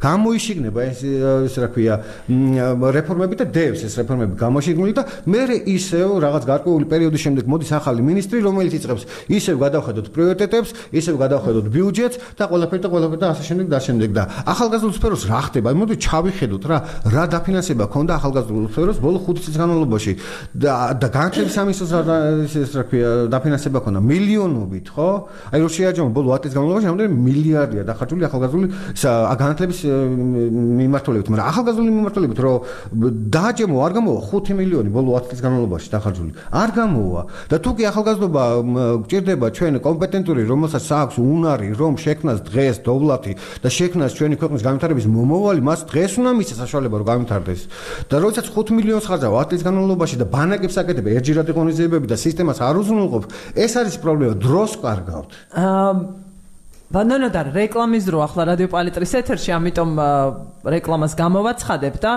გამოიშიგნება ეს რა ქვია, რეფორმები და დევს ეს რეფორმები გამოშიგნული და მერე ისევ რაღაც გარკვეული პერიოდის შემდეგ მოდის ახალი მინისტრი, რომელიც იწყებს ისევ გადავხედოთ პრიორიტეტებს, ისევ გადავხედოთ ბიუჯეტს და ყველაფერი და ასე შემდეგ და ახალგაზრდულ სფეროს რა ხდება? მოდი ჩავიხედოთ რა დაფინანსება ქონდა ახალგაზრდულ სფეროს ბოლო 5 წლის განმავლობაში და განათლების სამინისტროს ეს რა ქვია დაფინანსება ქონდა მილიონობით, ხო? აი რო შეაჯამო ბოლო 10 წლის განმავლობაში რამდენი მილიარდია დახარჯული ახალგაზრდული განათლების მიმართულებით, მაგრამ ახალგაზრდული მიმართულებით რო დააჯამო არ გამოვა 5 მილიონი ბოლო 10 წლის განმავლობაში დახარჯული. არ გამოვა და თუ კი ახალგაზრდობა გჭირდება ჩვენ კომპეტენტური, რომელსაც აქვს უნარი, რომ შექმნას დღეს დოვლათი და შექმნას ჩვენი ქვეყნის განვითარების მომავალი, მას დღეს უნდა მისცეს საშუალება რომ განვითარდეს. და როდესაც 5 მილიონს ხარჯავ 10 წლის განმავლობაში და ბანაკებს აკეთებ ერთჯერადი ღონისძიებები და სისტემას არ უზრუნველყოფ, ეს არის პრობლემა, დროს კარგავთ. ბანანოდარ რეკლამის დრო ახლა რადიო პალიტრის ეთერში, ამიტომ რეკლამას გამოვაცხადებ და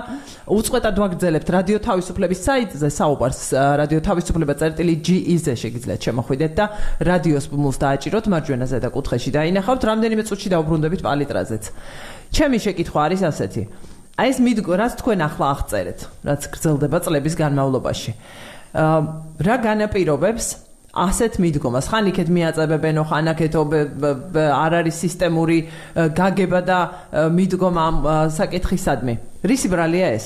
უწყვეტად ვაგრძელებთ რადიო თავისუფლების საიტზე საუბარს, რადიო თავისუფლება.ge-ზე შეგიძლიათ შემოხვიდეთ და რადიოს ბმულს დააჭიროთ მარჯვენა ზედა კუთხეში და ინახავთ რამდენიმე წუთში დაუბრუნდებით პალიტრაზეც. ჩემი შეკითხვა არის ასეთი. აი ეს რაც თქვენ ახლა აღწერეთ, რაც გრძელდება წლების განმავლობაში. რა განაპირობებს ასეთ მიდგომას? ხან იქეთ მიაწებებენო, ხან აქეთო არ არის სისტემური გაგება და მიდგომა ამ საკითხისადმი. რისი ბრალია ეს?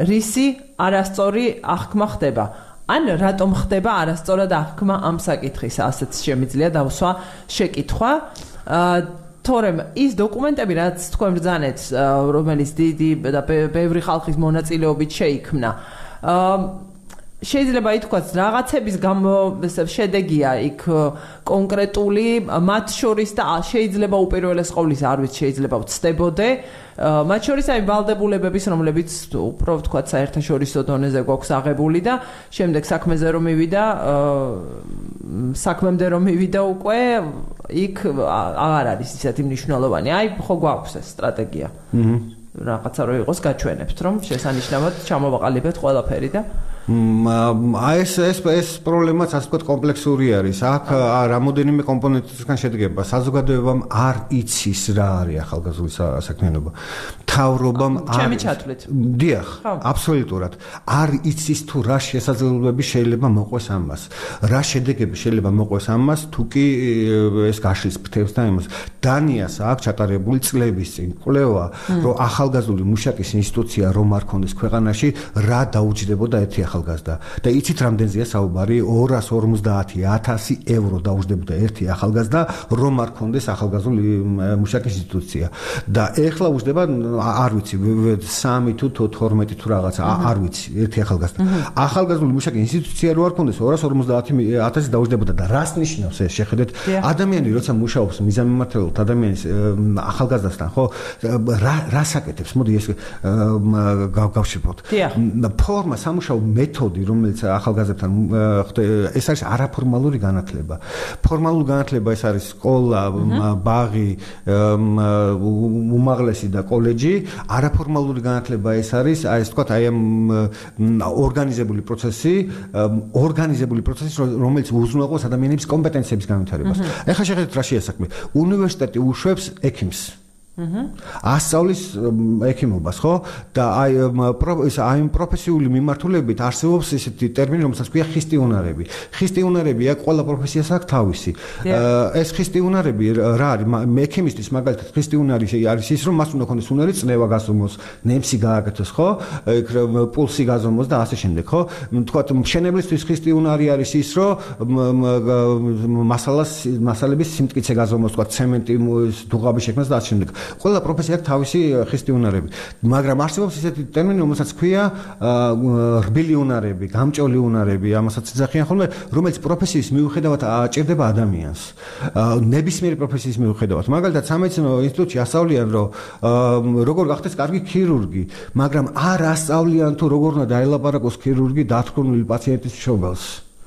რისი არასწორი აღქმა ხდება? ან რატომ ხდება არასწორად აღქმა ამ საკითხის? ასეც შემიძლია დავსვა შეკითხვა. თორემ ის დოკუმენტები, რაც თქვენ ბრძანეთ, რომელიც დიდი და ბევრი ხალხის მონაწილეობით შეიქმნა, შეიძლება ითქვას რაღაცების შედეგია იქ კონკრეტული, მათ შორის და შეიძლება უპირველეს ყოვლისა, არ ვიცი, შეიძლება ვცდებოდე, მათ შორის აი ვალდებულებების, რომლებიც უფრო ვთქვათ საერთაშორისო დონეზე გვაქვს აღებული და შემდეგ საქმემდე რომ მივიდა უკვე იქ აღარ არის ისეთი მნიშვნელოვანი. აი ხო გვაქვს ეს სტრატეგია. რაღაცა რო იყოს გაჩვენებთ, რომ შესანიშნავად ჩამოვაყალიბებთ ყველაფერი და აი ეს პრობლემაც ასე ვთქვათ კომპლექსური არის. აქ რამოდენიმე კომპონენტისგან შედგება. საზოგადოებამ არ იცის რა არის ახალგაზრდული საქმიანობა. მთავრობამ ჩემი ჩათვლით. დიახ, აბსოლუტურად. არ იცის თუ რა შესაძლებლობები შეიძლება მოყვეს ამას. რა შედეგები შეიძლება მოყვეს ამას, თუ კი ეს გაშლის ფრთებს და იმას. დანიას აქვს ჩატარებული წლების წინ კვლევა, რომ ახალგაზრდული მუშაკის ინსტიტუცია რომ არ ქონდეს ქვეყანაში, რა დაუჯდებოდა ერთი ახალგაზრდა. და იცით რამდენზეა საუბარი? 250,000 ევრო დაუჯდებოდა ერთი ახალგაზრდა, რომ არ ქონდეს ახალგაზრდული მუშაკის ინსტიტუცია. და ეხლა უჯდება არ ვიცი 3 თუ 12 თუ რაღაცა არ ვიცი ერთი ახალგაზრდა ახალგაზრდული მუშაკი ინსტიტუცია რო არ ქონდეს 250,000 დაუჯდებოდა და რას ნიშნავს ეს შეხედეთ ადამიანი როცა მუშაობს მიზანმიმართლებლად ადამიანის ახალგაზრდასთან ხო რას აკეთებს მოდი ეს გავშიფოთ ფორმა სამუშაო მეთოდი რომელიც ახალგაზრდთან ეს არის არაფორმალური განათლება ფორმალური განათლება ეს არის სკოლა ბაღი უმაღლესი და კოლეჯი არაფორმალური განათლება ეს არის აი ეს თქვათ აი ამ ორგანიზებული პროცესი რომელიც უზრუნველყოფს ადამიანების კომპეტენციების განვითარებას ეხლა შეხედეთ რა შეასაქმე უნივერსიტეტი უშვებს ექიმს ასწავლის ექიმობას ხო და აი პროფესიული მიმართულებით არსებობს ესეთი ტერმინი რომელსაც ქვია ხისტი უნარები ხისტი უნარებია ყველა პროფესიას აქვს თავისი ეს ხისტი უნარები რა არის ექიმისთვის მაგალითად ხისტი უნარი არის ის რომ მას უნდა ქონდეს უნარი წნევა გასწროს ნემსი გააკეთოს ხო პულსი გაზომოს და ასე შემდეგ ხო თქვათ მშენებლისთვის ხისტი უნარი არის ის რომ მასალების სიმტკიცე გაზომოს თქვათ ცემენტი დუღაბი შექმნას და ასე შემდეგ ყველა პროფესია აქვს თავისი ხისტი უნარები მაგრამ არსებობს ისეთი ტერმინი რომელსაც ქვია რბილი უნარები გამჭოლი უნარები ამასაც ეძახიან ხოლმე რომელიც პროფესიის მიუხედავად აჭირდება ადამიანს ნებისმიერი პროფესიის მიუხედავად მაგალითად სამედიცინო ინსტიტუტში ასწავლიან რომ როგორ გახდეს კარგი ქირურგი მაგრამ არ ასწავლიან თუ როგორ უნდა დაელაპარაკოს ქირურგი დათრგუნული პაციენტის მშობელს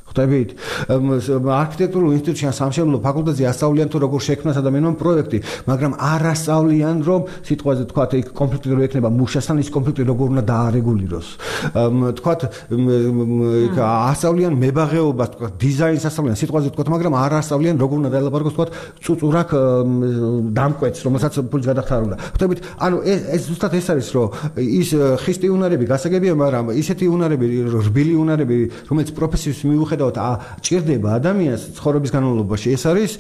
ხვდებით არქიტექტურულ ინსტიტუტში ან სამშენებლო ფაკულტეტზე ასწავლიან თუ როგორ შექმნას ადამიანმა პროექტი მაგრამ არ ასწავლიან რომ სიტყვაზე თქვათ იქ კონფლიქტი რო ექნება მუშასთან ის კონფლიქტი როგორ უნდა დაარეგულიროს თქვათ იქ ასწავლიან მებაღეობას თქვათ დიზაინს ასწავლიან სიტყვაზე თქვათ მაგრამ არ ასწავლიან როგორ უნდა დაელაპარაკოს თქვათ წუწურაკ დამკვეთს რომელსაც ფულის გადახდარა უნდა ხვდებით ანუ ეს ზუსტად ეს არის რომ ის ხისტი უნარები გასაგებია მაგრამ ისეთი უნარები რბილი უნარები რომელიც პროფესიის მიუხედავად ჭირდება ადამიანს ცხოვრების განმავლობაში ეს არის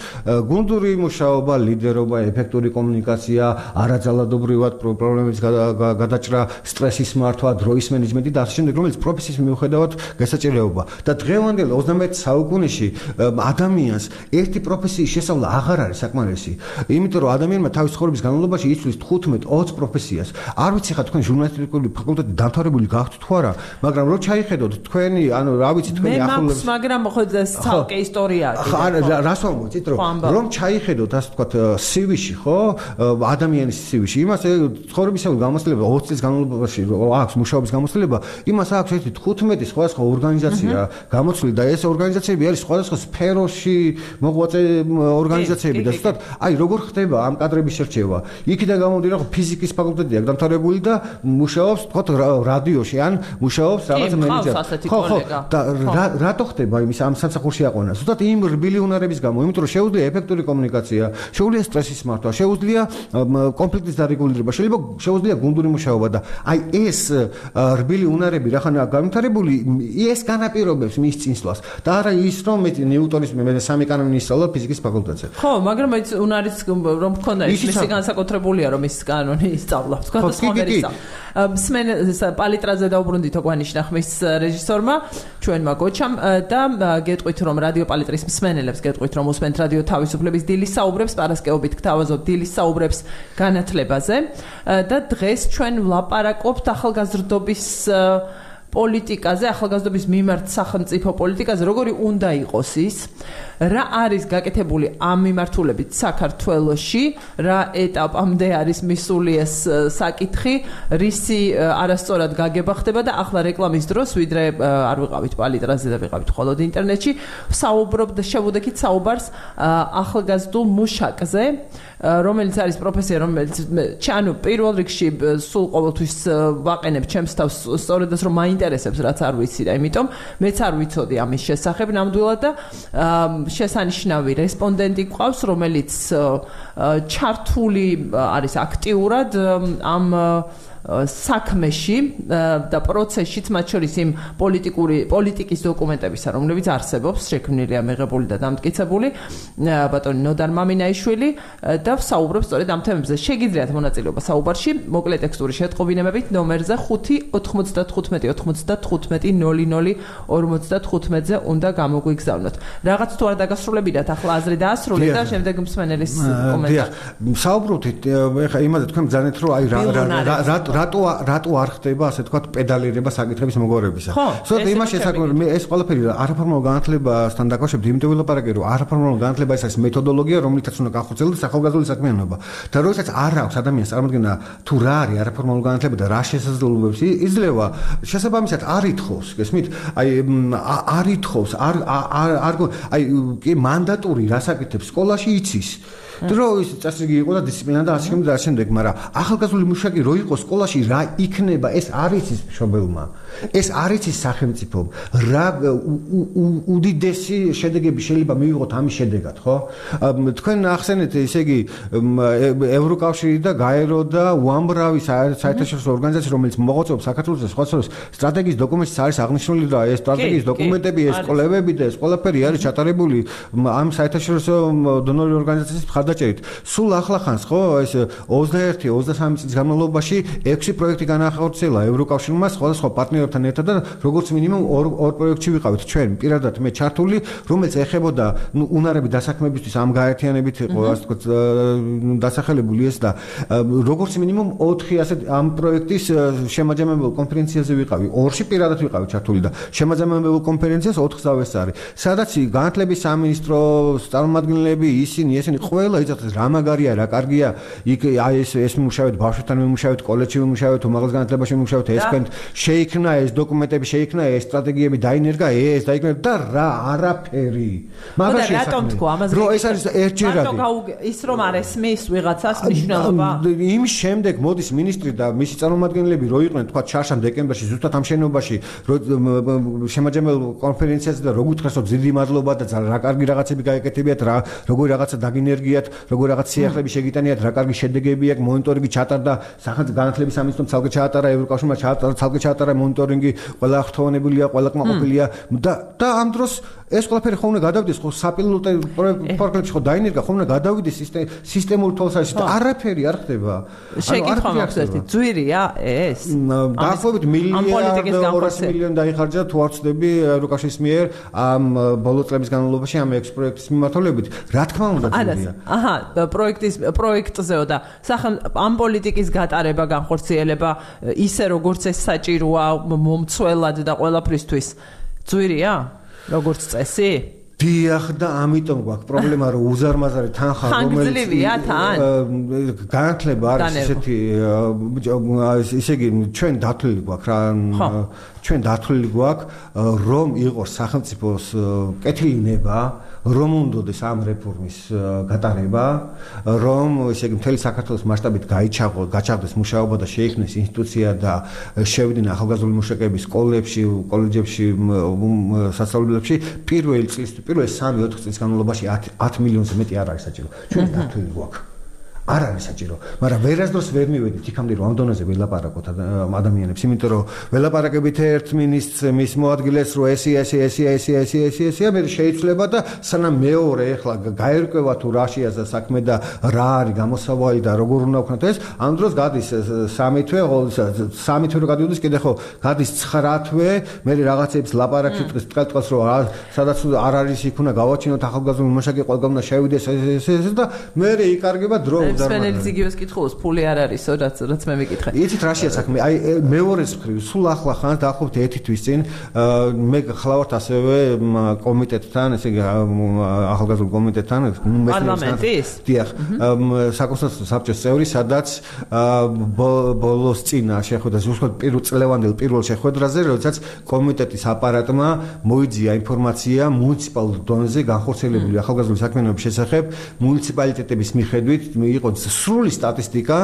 გუნდური მუშაობა, ლიდერობა, ეფექტური კომუნიკაცია, არაძალადობრივად პრობლემების გადაჭრა, სტრესის მართვა, დროის მენეჯმენტი და ასე შემდეგ, რომელიც პროფესიის მიუხედავად გასაჭიროება. და დღევანდელ 21 საუკუნეში ადამიანს ერთი პროფესიის შესწავლა აღარ არის საკმარისი. იმიტომ რომ ადამიანმა თავის ცხოვრების განმავლობაში იცვლის 15-20 პროფესიას. არ ვიცი ხა თქვენ ჟურნალისტიკული ფაკულტეტი დამთავრებული გაქვთ თუ არა, მაგრამ რო ჩაიხედოთ თქვენი, ანუ რა ვიცი თქვენი ახლობლების მაგრამ ხო ცალკე ისტორია აქვს. რას ვამბობთ, რომ ჩაიხედოთ ასე ვთქვათ CV-ში, ხო? ადამიანის CV-ში, იმას ცხოვრებისეული გამოცდილება 20 წლის განმავლობაში აქვს მუშაობის გამოცდილება, იმას აქვს ერთი 15 სხვადასხვა ორგანიზაცია გამოცვლილი და ეს ორგანიზაციები არის სხვადასხვა სფეროში მოღვაწე ორგანიზაციები და ზუსტად აი როგორ ხდება ამ კადრების შერჩევა. იქიდან გამომდინარე, რომ ფიზიკის ფაკულტეტი აქვს დამთავრებული და მუშაობს ვთქვათ რადიოში ან მუშაობს რაღაც მენეჯერად. ხო, და რატო ხდება იმის ამ სამსახურში აყვანა? ზუსტად იმ რბილი უნარების გამო, იმიტომ რომ შეუძლია ეფექტური კომუნიკაცია, შეუძლია სტრესის მართვა, შეუძლია კონფლიქტის დარეგულირება, შეუძლია გუნდური მუშაობა და აი ეს რბილი უნარები რახანაა განვითარებული, ეს განაპირობებს მის წინსვლას. და არა ის რომ მე ნიუტონის მე-3 კანონი ისწავლა ფიზიკის ფაკულტეტზე. ხო, მაგრამ ეს უნარის რომ მქონდა მისი განსაკუთრებულია რომ ის კანონი ისწავლა. თქვა და სხვა მსმენელს პალიტრაზე დაუბრუნდითო გვანიშნა ხმის რეჟისორმა ჩვენმა გოჩამ და გეტყვით რომ რადიო პალიტრის მსმენელებს გეტყვით რომ უსმენთ რადიო თავისუფლების დილის საუბრებს პარასკევობით გთავაზობთ დილის საუბრებს განათლებაზე და დღეს ჩვენ ვლაპარაკობთ ახალგაზრდობის პოლიტიკაზე, ახალგაზრდობის მიმართ სახელმწიფო პოლიტიკაზე, როგორი უნდა იყოს ის, რა არის გაკეთებული ამ მიმართულებით საქართველოში, რა ეტაპამდე არის მისული ეს საკითხი, რისი არასწორად გაგება ხდება და ახლა რეკლამის დროს, ვიდრე არ ვიყავით პალიტრაზე და ვიყავით მხოლოდ ინტერნეტში, საუბრობთ შევუდექით საუბარს ახალგაზრდულ მუშაკზე, რომელიც არის პროფესია, რომელიც ჩანო პირველ რიგში სულ ყოველთვის ვაყენებ ჩემს თავს სწორედაც რომ მაინტერესებს რაც არ ვიცი და იმიტომ მეც არ ვიცოდი ამის შესახებ ნამდვილად და შესანიშნავი რესპონდენტი გვყავს რომელიც ჩართული არის აქტიურად ამ საქმეში და პროცესშიც, მათ შორის იმ პოლიტიკის დოკუმენტებისა, რომლებიც არსებობს, შექმნილია, მიღებული და დამტკიცებული ბატონი ნოდარ მამინაიშვილი და საუბრობს სწორედ ამ თემებზე. შეგიძლიათ მონაწილეობა საუბარში, მოკლე ტექსტური შეტყობინებებით ნომერზე 5-95-95-00-55-ზე უნდა გამოგვიგზავნოთ. რაღაც თუ არ დაგასრულებინათ, ახლა აზრი დაასრულეთ და შემდეგ მსმენელის კომენტარი. საუბრობთ ეხლა იმაზე თქვენ ბრძანეთ რომ აი რატო არ ხდება ასე თქვა პედალირება საკითხების მოგვარებისა. ზოგადად იმას შესაძლოა მე ეს ყველაფერი არაფორმალურ განათლებასთან დაკავშირებით იმიტომ ვილაპარაკე რომ არაფორმალურ განათლება ეს არის მეთოდოლოგია რომლითაც უნდა განხორციელდეს ახალგაზრდული საქმიანობა. და როდესაც არ აქვს ადამიანს წარმოქმნა თუ რა არის არაფორმალურ განათლება და რა შესაძლებლობებს იძლევა შესაბამისად არ ითხოვს გესმით აი არ ითხოვს აი კი მანდატური რასაკეთებს სკოლაში იცის დრო ის წესრიგი იყო და დისციპლინა და ასე შემდეგ, მაგრამ ახალგაზრდული მუშაკი რო იყო სკოლაში რა იქნება ეს არ იცის მშობელმა. ეს არ იცის სახელმწიფო. რა უდიდესი შედეგები შეიძლება მივიღოთ ამის შედეგად, ხო? თქვენ ახსენეთ, ესე იგი, ევროკავშირი და გაერო და უამრავი საერთაშორისო ორგანიზაცია, რომელიც მოღვაწეობს საქართველოს და სხვა სტრატეგიის დოკუმენტში არის აღნიშნული და ეს სტრატეგიის დოკუმენტები, ეს კვლევები და ეს ყველაფერი არის ჩატარებული ამ საერთაშორისო დონორი ორგანიზაციის მხარდაჭერით. სულ ახლახანს, ხო, ეს 21-23 წლის განმავლობაში 6 პროექტი განახორციელა ევროკავშირმა სხვადასხვა პარტნიორებთან ერთად და როგორც მინიმუმ 2 პროექტში ვიყავით ჩვენ პირადად მე ჩართული, რომელიც ეხებოდა უნარების დასაქმებისთვის ამ გაერთიანებით იყო ასე თქვა დასახელებული ეს და როგორც მინიმუმ 4 ასე ამ პროექტის შემაჯამებელ კონფერენციაზე ვიყავი. 2-ში პირადად ვიყავი ჩართული და შემაჯამებელ კონფერენციას 4 წავეს არის. სადაც განათლების სამინისტროს წარმომადგენლები ისინი ყველა იცოდეს რა მაგარია, რა კარგია, იქ აი ეს მუშაობთ ბავშვებთან მუშაობთ, კოლეჯში მუშაობთ, უმაღლეს განათლებაში მუშაობთ, ეს თქვენ შეიქმნა ეს დოკუმენტები, შეიქმნა ეს სტრატეგიები, დაინერგა ეს, დაინერგა და რა არაფერი. მაგაში რატომ თქვა ამაზე? რო ეს არის ერთჯერადი. ის რომ არ ესმის ვიღაცას მნიშვნელობა. იმის შემდეგ მოდის მინისტრი და მისი წარმომადგენლები რო იყვნენ თქვა ჩარშან დეკემბერში ზუსტად ამ შენობაში შემაჯამებელ კონფერენციაზე და როგორ უთხრეს რომ დიდი მადლობა და რა კარგი რაღაცები გაეკეთებიათ, როგორი რაღაცა დაგინერგიათ, როგორ რაღაც სიახლეები შეგიტანიათ, რა კარგი შედეგები აქვს, მონიტორინგი ჩატარდა, სახელმწიფო განათლების სამინისტრომ ცალკე ჩაატარა, ევროკავშირმა ცალკე ჩაატარა მონიტორინგი, ყველა აღთხოვანებულია, ყველა კმაყოფილია და ამ დროს ეს ყველაფერი ხომ უნდა გადავიდეს ხო საპილოტო პროექტებში ხო დაინერგა ხომ უნდა გადავიდეს სისტემურ თვალსაზრისით არაფერი არ ხდება. შეკითხვა მაქვს ერთი ძვირია ეს? დაახლოებით მილიარდ 200 მილიონი დაიხარჯა თუ არ ვცდები ევროკავშირის მიერ ამ ბოლო წლების განმავლობაში ამ 6 პროექტის მიმართულებით. რა თქმა უნდა ძვირია. აჰა, პროექტზეო და ამ პოლიტიკის გატარება, განხორციელება ისე როგორც ეს საჭიროა მომცველად და ყველაფრისთვის ძვირია? როგორც წესი? დიახ და ამიტომ გვაქვს პრობლემა რომ უზარმაზარი თანხა რომელიც განათლება არის ესეთი ისე იგი ჩვენ დათვლილი გვაქვს რა ჩვენ დათვლილი გვაქვს რომ იყოს სახელმწიფოს კეთილინება რომ უნდოდეს ამ რეფორმის გატარება რომ ესე იგი მთელი საქართველოს მასშტაბით გაჩაღდეს მუშაობა და შეიქმნეს ინსტიტუცია და შევიდნენ ახალგაზრდული მუშაკები სკოლებში, კოლეჯებში, სასწავლებლებში პირველი 3-4 წლის განმავლობაში 10 მილიონზე მეტი არ არის საჭირო. ჩვენ დათვლილი გვაქვს. არ არის საჭირო, მაგრამ ვერასდროს ვერ მივედით იქამდე რომ ამ დონეზე ველაპარაკოთ ადამიანებს, იმიტომ რომ ველაპარაკებით ერთ მინისტრს მის მოადგილეს რომ ესე მე შეიძლება და სანამ მეორე ახლა გაერკვევა თუ რა შეაზა საქმე და რა არის გამოსავალი და როგორ უნდა ვქნათ ეს, ამ დროს გადის 3 თვე რო გადიოდეს კიდე ხო გადის 9 თვე, მე რაღაცებს ლაპარაკში ტყელტყელს რომ სადაც არ არის იქ უნდა გავაჩინოთ ახალგაზრდული მუშაკი ყველგან უნდა შევიდეს ეს და მე იკარგება დრო სპენელის იგივეს კითხულობს, ფული არ არისო, რაც მე მეკითხე. იცით რა შეა საქმე? აი მეორეს მხრივ, სულ ახლა ხანს დაახლოებით 1 თვის წინ მე ხლავართ ასევე კომიტეტთან, ესე იგი ახალგაზრდულ კომიტეტთან, პარლამენტის? დიახ, საკონსულტაციო საბჭოს წევრი, სადაც ბოლოს წინა შეხვედრა, ზუსტად წლევანდელ პირველ შეხვედრაზე, როდესაც კომიტეტის აპარატმა მოიძია ინფორმაცია მუნიციპალურ დონეზე განხორციელებული ახალგაზრდული საქმიანობის შესახებ მუნიციპალიტეტების მიხედვით იყო სრული სტატისტიკა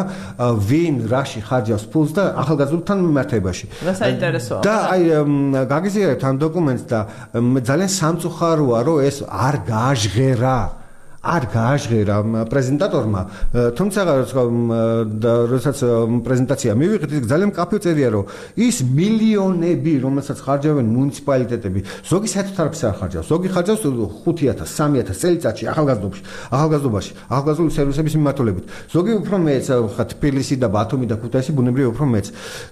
ვინ რაში ხარჯავს ფულს და ახალგაზრდულთან მიმართებაში. საინტერესოა. და აი გაგიზიარებთ ამ დოკუმენტს და ძალიან სამწუხაროა რომ ეს არ გააჟღერა არ გააჟღერა პრეზენტატორმა, თუმცა როდესაც პრეზენტაცია მივიღეთ, ის ძალიან მკაფიო წერია, რომ ის მილიონები, რომელსაც ხარჯავენ მუნიციპალიტეტები, ზოგი საერთოდ არაფერს არ ხარჯავს. ზოგი ხარჯავს 5,000, 3,000 წელიწადში ახალგაზრდობაში, ახალგაზრდული სერვისების მიმართულებით. ზოგი უფრო მეც, თბილისი და ბათუმი და ქუთაისი ბუნებრივია უფრო მეც.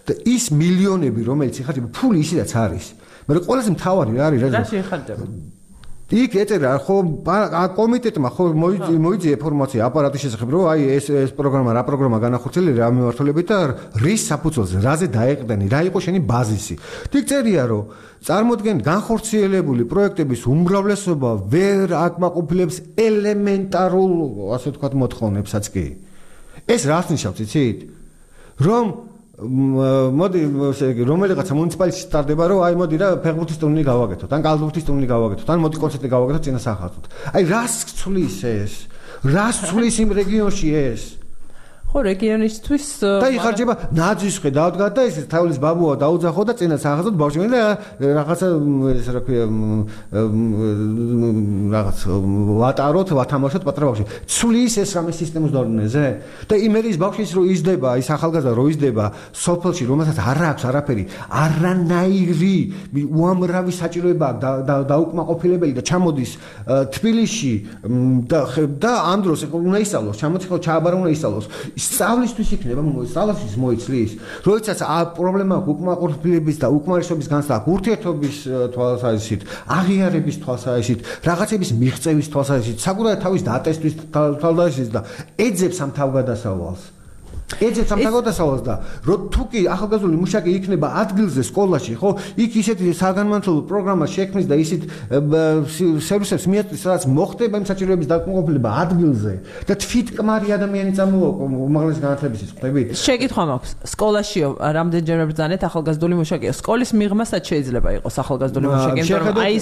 და ის მილიონები, რომელიც იხარჯება, ფული ისედაც არის. მაგრამ ყველაზე მთავარი რა არის? რა შეიხარჯება? იქ ეწერა ხო კომიტეტმა ხო მოიძიე ინფორმაცია აპარატის შესახებ რომ აი ეს პროგრამა რა პროგრამა განახორციელე რა მიმართულებით და რის საფუძველზე რაზე დაეყრდენი რა იყო შენი ბაზისი. იქ წერია რომ წარმოდგენ განხორციელებული პროექტების უმრავლესობა ვერ აკმაყოფილებს ელემენტარულ ასე ვთქვათ მოთხოვნებსაც კი. ეს რას ნიშნავს იცით? რომ მოდი რომელიღაცა მუნიციპალიტეტში სტარდება რომ აი მოდი რა ფეხბურთის ტურნირი გავაკეთოთ ან კალათბურთის ტურნირი გავაკეთოთ ან მოდი კონცერტი გავაკეთოთ წინასახადოდ. აი რას ცვლის ეს? რას ცვლის იმ რეგიონში ეს? ხო რეგიონისთვის და იხარჯება ნაძვის ხედავდგა და ეს თავის ბაბუა დაუძახო და წინასახადოდ ბავშვი და რაღაცა ეს რა ქვია რაღაც ვატაროთ ვათამაშოთ პატრა ბავშვი. ცვლის ეს რამე სისტემის დონეზე და იმერის ბავშვის რო იზრდება ის ახალგაზრდა რო იზრდება სოფელში რომელსაც არ აქვს არაფერი არანაირი უამრავი საჭიროება დაუკმაყოფილებელი და ჩამოდის თბილისში და ამ დროს უნდა ისწავლოს ჩამოდის ხო ჩააბარა უნდა ისწავლოს სწავლისთვის იქნება სწავლისთვის მოიცლის როდესაც პრობლემა უკმაყოფილების და უკმარისობის განცდა ურთიერთობის თვალსაზრისით აღიარების თვალსაზრისით რაღაცების მიღწევის თვალსაზრისით საკუთარ თავის დატესტვის თვალსაზრისით და ეძებს ამ თავგადასავალს ეძებს ამ თავგადასავალს და რო თუკი ახალგაზრდული მუშაკი იქნება ადგილზე სკოლაში ხო იქ ისეთი საგანმანათლებლო პროგრამა შექმნის და ისეთ სერვისებს მიაწვის სადაც მოხდება იმ საჭიროების დაკმაყოფილება ადგილზე და თვითკმარი ადამიანი წამოაყო უმაღლესი განათლებისთვის ხვდებით შეკითხვა მაქვს სკოლაშიო რამდენჯერმე ბრძანეთ ახალგაზრდული მუშაკია სკოლის მიღმასაც შეიძლება იყოს ახალგაზრდული მუშაკი იმიტომ რომ აი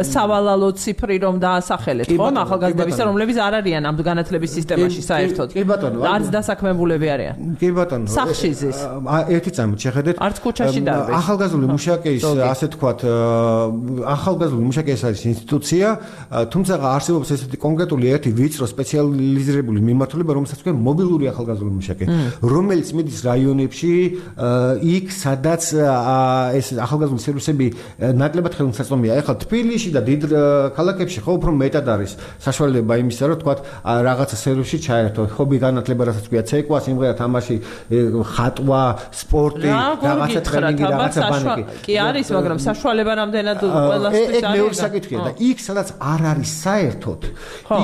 ეს სავალალო ციფრი რომ დაასახელეთ ხომ ახალგაზრდებისა რომლებიც არ არიან ამ განათლების სისტემაში საერთოდ კი ბატონო არც დასაქმებულები არიან კი ბატონო სახში ზის ერთი წამით შეხედეთ არც ქუჩაში დარბეს ახალგაზრდული მუშაკის ასე თქვათ ახალგაზრდული მუშაკის არის ინსტიტუცია თუმცა არსებობს ესეთი კონკრეტული ერთი ვიწრო სპეციალიზირებული მიმართულება რომელსაც ქვია მობილური ახალგაზრდული მუშაკი რომელიც მიდის რაიონებში იქ სადაც ეს ახალგაზრდული სერვისები ნაკლებად ხელმისაწვდომია ეხლა თბილისში და დიდ ქალაქებში ხო უფრო მეტად არის საშუალება იმისა რომ თქვათ რაღაცა სერვისში ჩაერთო ხობი განათლება რასაც ქვია ცეკვა სიმღერა თამაში ხატვა სპორტი რაღაცა ტრენინგი რაღაცა ბანკი კი არის მაგრამ საშუალება რამდენად ყველასთვის არის მეორე საკითხია და იქ სადაც არ არის საერთოდ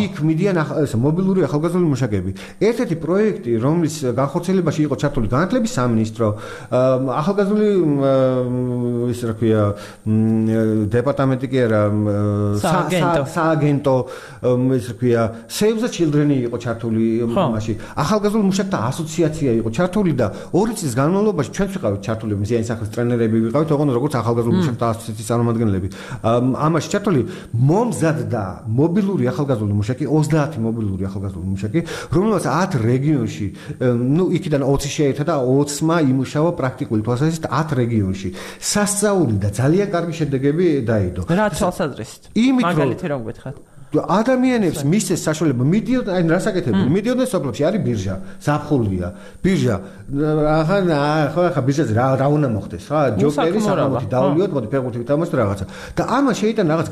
იქ მიდიან მობილური ახალგაზრდული მუშაკები ერთ-ერთი პროექტი რომლის განხორციელებაში იყო ჩართული განათლების სამინისტრო ახალგაზრდული ის რა ქვია დეპარტამენტი კი არა სააგენტო ის რა ქვია Save the Children იყო ჩართული მასში ახალგაზრდული მუშაკთა ასოციაცია იყო ჩართული და 2 წლის განმავლობაში ჩვენც ვიყავით ჩართული მზიანი სახლის ტრენერები ვიყავით ოღონდ როგორც ახალგაზრდული მუშაკთა ასოციაციის წარმომადგენლები ამაში ჩართული მომზადდა მობილური ახალგაზრდული მუშაკი 30 მობილური ახალგაზრდული მუშაკი რომელსაც 10 რეგიონში ნუ იქიდან 20 შეერთა და 20-მა იმუშავა პრაქტიკული თვალსაზრისით 10 რეგიონში სასწაული და ძალიან კარგი შედეგები დაიდო რა თვალსაზრისით მაგალითი რომ გითხრათ ადამიანებს მისცეს საშუალება მიდიოდნენ აი რასაკეთებდნენ მიდიოდნენ სოფლებში არის ბირჟა ზაფხულია ბირჟა ახლა ბირჟაზე რა უნდა მოხდეს რა ჯოკერი საკამოთი დავლიოთ მოდი ფეხბურთი ვითამაშოთ რაღაცა და ამას შეიტანა რაღაც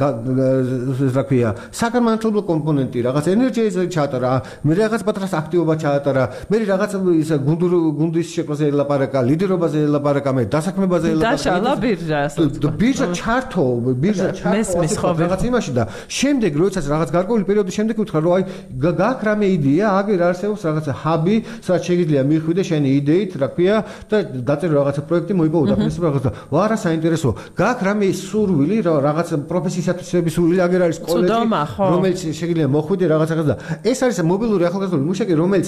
რა ქვია საგანმანათლებლო კომპონენტი რაღაც ენერგიაზე ჩაატარა მე რაღაც პატრას აქტივობა ჩაატარა მე რაღაც ის გუნდის შექმნაზე ელაპარაკა ლიდერობაზე ელაპარაკა მე დასაქმებაზე ელაპარაკა დაშალა ბირჟა ჩართო რაღაც იმაში და შემდეგ როცა რაღაც გარკვეული პერიოდის შემდეგ ვთქვა რომ აი გაქვს რამე იდეა აგერ არსებობს რაღაცა ჰაბი სადაც შეიძლება მიხვიდე შენი იდეით რა ქვია და დაწერო რაღაცა პროექტი მოიპოვო დაფინანსება რაღაცა ვარა საინტერესო გაქვს რამე სურვილი რაღაც პროფესიისათვის სურვილი აგერ არის კოლეჯი რომელიც შეიძლება მოხვიდე რაღაცა და ეს არის მობილური ახალგაზრდული მუშაკი რომელიც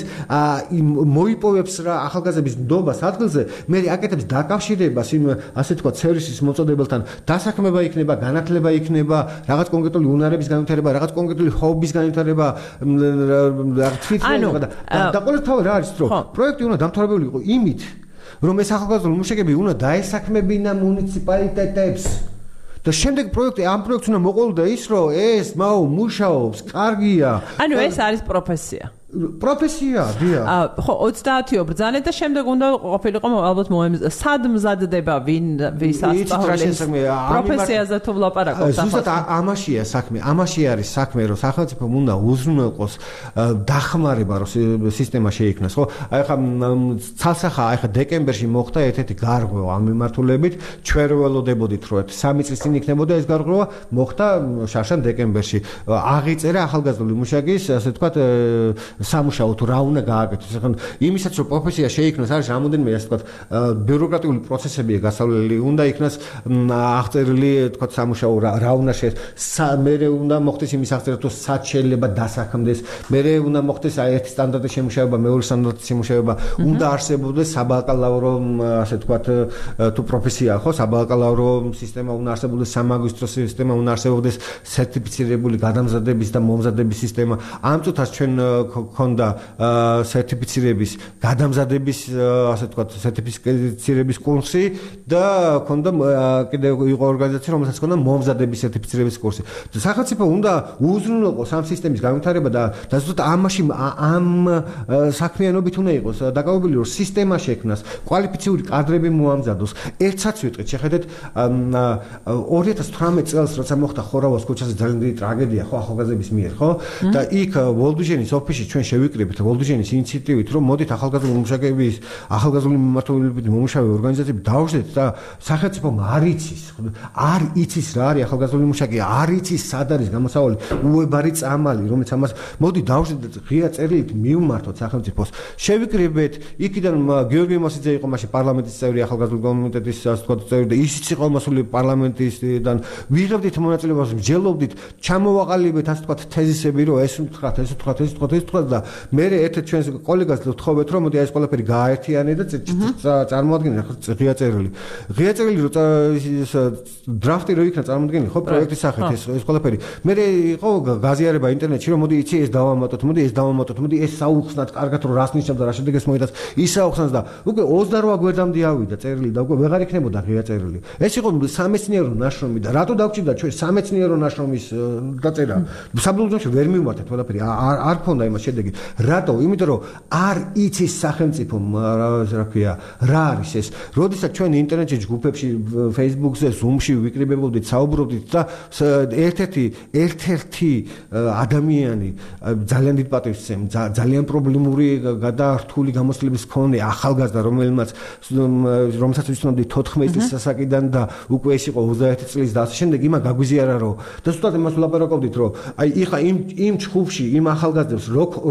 მოიპოვებს რა ახალგაზრდების ნდობას ადგილზე მე აკეთებს დაკავშირებას იმ ასე თქვა სერვისის მოწოდებელთან დასაქმება იქნება განათლება იქნება რაღაც კონკრეტული უნარების განვითარება რაღაც კონკრეტული ჰობის განვითარება თვითმფრინავება და ყოველთვის რა არის რომ პროექტი უნდა დამთავრებული იყო იმით რომ ეს ახალგაზრდული მუშაკები უნდა დაესაქმებინა მუნიციპალიტეტებს და შემდეგ ამ პროექტს უნდა მოყოლოდა ის, რომ ეს მაო მუშაობს, კარგია. ანუ ეს არის პროფესია. პროფესია, დიახ. ხო, 30-ო ბრძანეთ და შემდეგ უნდა ყოფილიყო ალბათ სად მზადდება ვის ასწავლის პროფესიაზე თუ ვლაპარაკობთ. ზუსტად ამაშია საქმე. ამაში არის საქმე, რომ სახელმწიფომ უნდა უზრუნველყოს დახმარება, რომ სისტემა შეიქმნას, ხო? აი ხა ცალსახა, აი ხა დეკემბერში მოხდა ერთ-ერთი გარღვევა ამ მიმართულებით, ჩვენ ველოდებოდით, რომ 3 წლის წინ იქნებოდა ეს გარღვევა, მოხდა შარშან დეკემბერში. აღიწერა ახალგაზრდული მუშაკის, ასე ვთქვათ, სამუშაო თუ რა უნდა გააკეთოს. ახლა იმისაც რომ პროფესია შეიქმნას არის რამოდენიმე ასე ვთქვათ ბიუროკრატიული პროცესებია გასავლელი. უნდა იქნას აღწერილი ვთქვათ სამუშაო რა უნდა მე უნდა მოხდეს იმის აღწერა თუ სად შეიძლება დასაქმდეს. მე უნდა მოხდეს აი ერთი სტანდარტის შემუშავება, მეორე სტანდარტის შემუშავება. უნდა არსებობდეს საბაკალავრო ასე ვთქვათ თუ პროფესია ხო, საბაკალავრო სისტემა უნდა არსებობდეს, სამაგისტრო სისტემა უნდა არსებობდეს, სერტიფიცირებული გადამზადების და მომზადების სისტემა. ამ წუთას ჩვენ ქონდა სერტიფიცირების გადამზადების ასე ვთქვათ სერტიფიცირების კურსი და ქონდა კიდევ იყო ორგანიზაცია რომელსაც ქონდა მომზადების სერტიფიცირების კურსი. სახელმწიფო უნდა უზრუნველყოს ამ სისტემის განვითარება და ზუსტად ამ საქმიანობით უნდა იყოს დაკავებული რომ სისტემა შექმნას, კვალიფიციური კადრები მოამზადოს. ერთსაც ვიტყვით, შეხედეთ 2018 წელს როცა მოხდა ხორავას ქუჩაზე ძალიან დიდი ტრაგედია ხო ახალგაზრდების მიერ ხო და იქ ვოლდუჟენის ოფისში ჩვენ შევიკრიბეთ ვოლდუჟენის ინიციატივით რომ მოდით ახალგაზრდული მუშაკების ახალგაზრდული მიმართულებით მომუშავე ორგანიზაციები დავუშვათ და სახელმწიფომ არ იცის რა არის ახალგაზრდული მუშაკი, არ იცის სად არის გამოსავალი უებარი წამალი რომელიც ამას მოდი დავუშვათ ღია წერილით მივმართოთ სახელმწიფოს შევიკრიბეთ იქიდან გიორგი მოსიძე იყო მაშინ პარლამენტის წევრი ახალგაზრდული კომიტეტის ასე ვთქვათ წევრი და ისიც იყო მასული პარლამენტისგან ვიღებდით მონაწილეობას მსჯელობდით ჩამოვაყალიბეთ ასე ვთქვათ თეზისები რომ ეს ვთქვათ და მე ერთ-ერთ ჩვენს კოლეგას ვთხოვეთ რომ მოდი ეს ყველაფერი გააერთიანე და წარმოადგინე ღია წერილი რო დრაფტი რო იქნა წარმოადგინე ხო პროექტის სახით ეს ყველაფერი მე იყო გაზიარება ინტერნეტში რომ მოდი იცი ეს დავამატოთ მოდი ეს საუხსნათ კარგად რომ რას ნიშნავს და რა შედეგს მოიტანს ის საუხსნას და უკვე 28 გვერდამდე ავიდა წერილი და უკვე ვეღარ იქნებოდა ღია წერილი ეს იყო სამეცნიერო ნაშრომი და რატო დავჭირდა ჩვენ სამეცნიერო ნაშრომის დაწერა საბოლოოში ვერ მივმართეთ ყველაფერი არ ქონდა იმას შედეგი რატო? იმიტომ რომ არ იცის სახელმწიფო რა ქვია რა არის ეს. როდესაც ჩვენ ინტერნეტში ჯგუფებში, Facebook-ზე, Zoom-ში ვიკრიბებოდით, საუბრობდით და ერთ-ერთი ადამიანი ძალიან დიდ პატივს სცემ, ძალიან პრობლემური გადაართული გამოცდილების მქონე ახალგაზრდა, რომელსაც ვიცნობდი 14 წლის ასაკიდან და უკვე ეს იყო 21 წლის და ასე შემდეგ იმან გაგვიზიარა რომ და ზუსტად იმას ვლაპარაკობდით რომ აი იხა იმ ჯგუფში იმ ახალგაზრდებს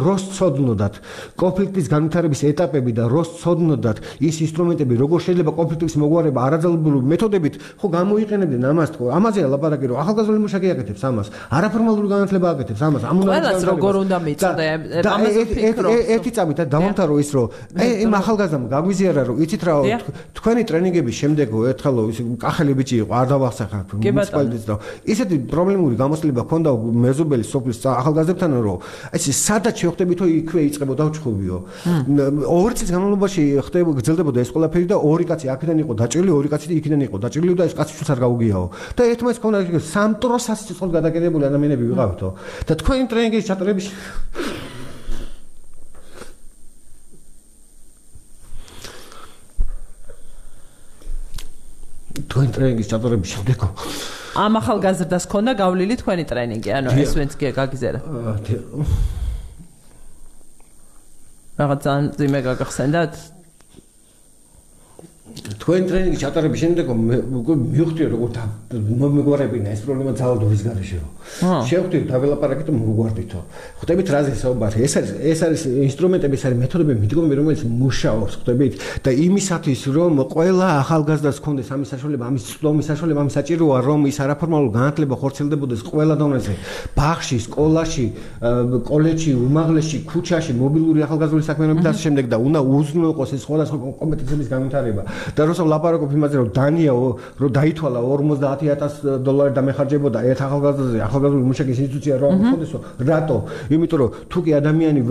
როს ცოდნოდათ კონფლიქტის განვითარების ეტაპები და როს ცოდნოდათ ის ინსტრუმენტები როგორ შეიძლება კონფლიქტის მოგვარება არაძალებული მეთოდებით ხო გამოიყენებდნენ ამას თქო ამაზეა ლაპარაკი რომ ახალგაზრდული მუშაკი აკეთებს ამას არაფორმალური განათლება აკეთებს ამას ყველას როგორ უნდა მიწოდე ამაზე ფიქრობ ერთი წამით დავამთავრო ის რომ იმ ახალგაზრდამ გაგვიზიარა რომ იცით რა თქვენი ტრენინგების შემდეგო ერთხელ ის კახელი ბიჭი იყო არ დავახსახებ მუნიციპალიტეტს და ისეთი პრობლემური გამოცდილება ჰქონდა მეზობელი სოფლის ახალგაზრდებთან რომ ეს სადაც შევხვდებით რომ იქვე იწყებოდა ჩხუბიო 2 წლის განმავლობაში გრძელდებოდა ეს ყველაფერი და ორი კაცი აქედან იყო დაჭრილი ორი კაცი იქიდან იყო დაჭრილი და ეს კაცი შულს არ გაუგიაო და ერთმანეთს ჰქონდა სამტრო სასიცოცხლოდ გადაკეთებული ადამიანები ვიყავთო და თქვენი ტრენინგის ჩატარების თქვენი ტრენინგის ჩატარების შემდეგ ამ ახალგაზრდას ქონდა გავლილი თქვენი ტრენინგი ანუ ეს ვინც გაგიზერა რაღაც ძიმე გაგახსენდათ თქვენი ტრენინგის ჩატარების შემდეგ მივხვდი როგორ მოგგვარებინა ეს პრობლემა ძალადობის გარეშე შევხვდი დაველაპარაკეთ და მოგვარდითო ხვდებით რაზე საუბარი ეს არის ინსტრუმენტები ეს არის მეთოდები მიდგომები რომელიც მუშაობს ხვდებით და იმისათვის რომ ყველა ახალგაზრდას ჰქონდეს ამის საშუალება ამის წვდომის საშუალება ამის საჭიროა რომ ის არაფორმალურ განათლება ხორციელდებოდეს ყველა დონეზე ბაღში სკოლაში კოლეჯში უმაღლესში ქუჩაში მობილური ახალგაზრდული საქმიანობით და ამ შემდეგ და უნდა უზრუნველყოს ეს სხვადასხვა კომპეტენციების განვითარება და რომ როცა ლაპარაკობ იმაზე რომ დანია რომ დაითვალა $50,000 დამეხარჯებოდა ერთ ახალგაზრდული მუშაკის ინსტიტუცია რომ ამხოდესო რატო? იმიტომ რომ თუ კი ადამიანი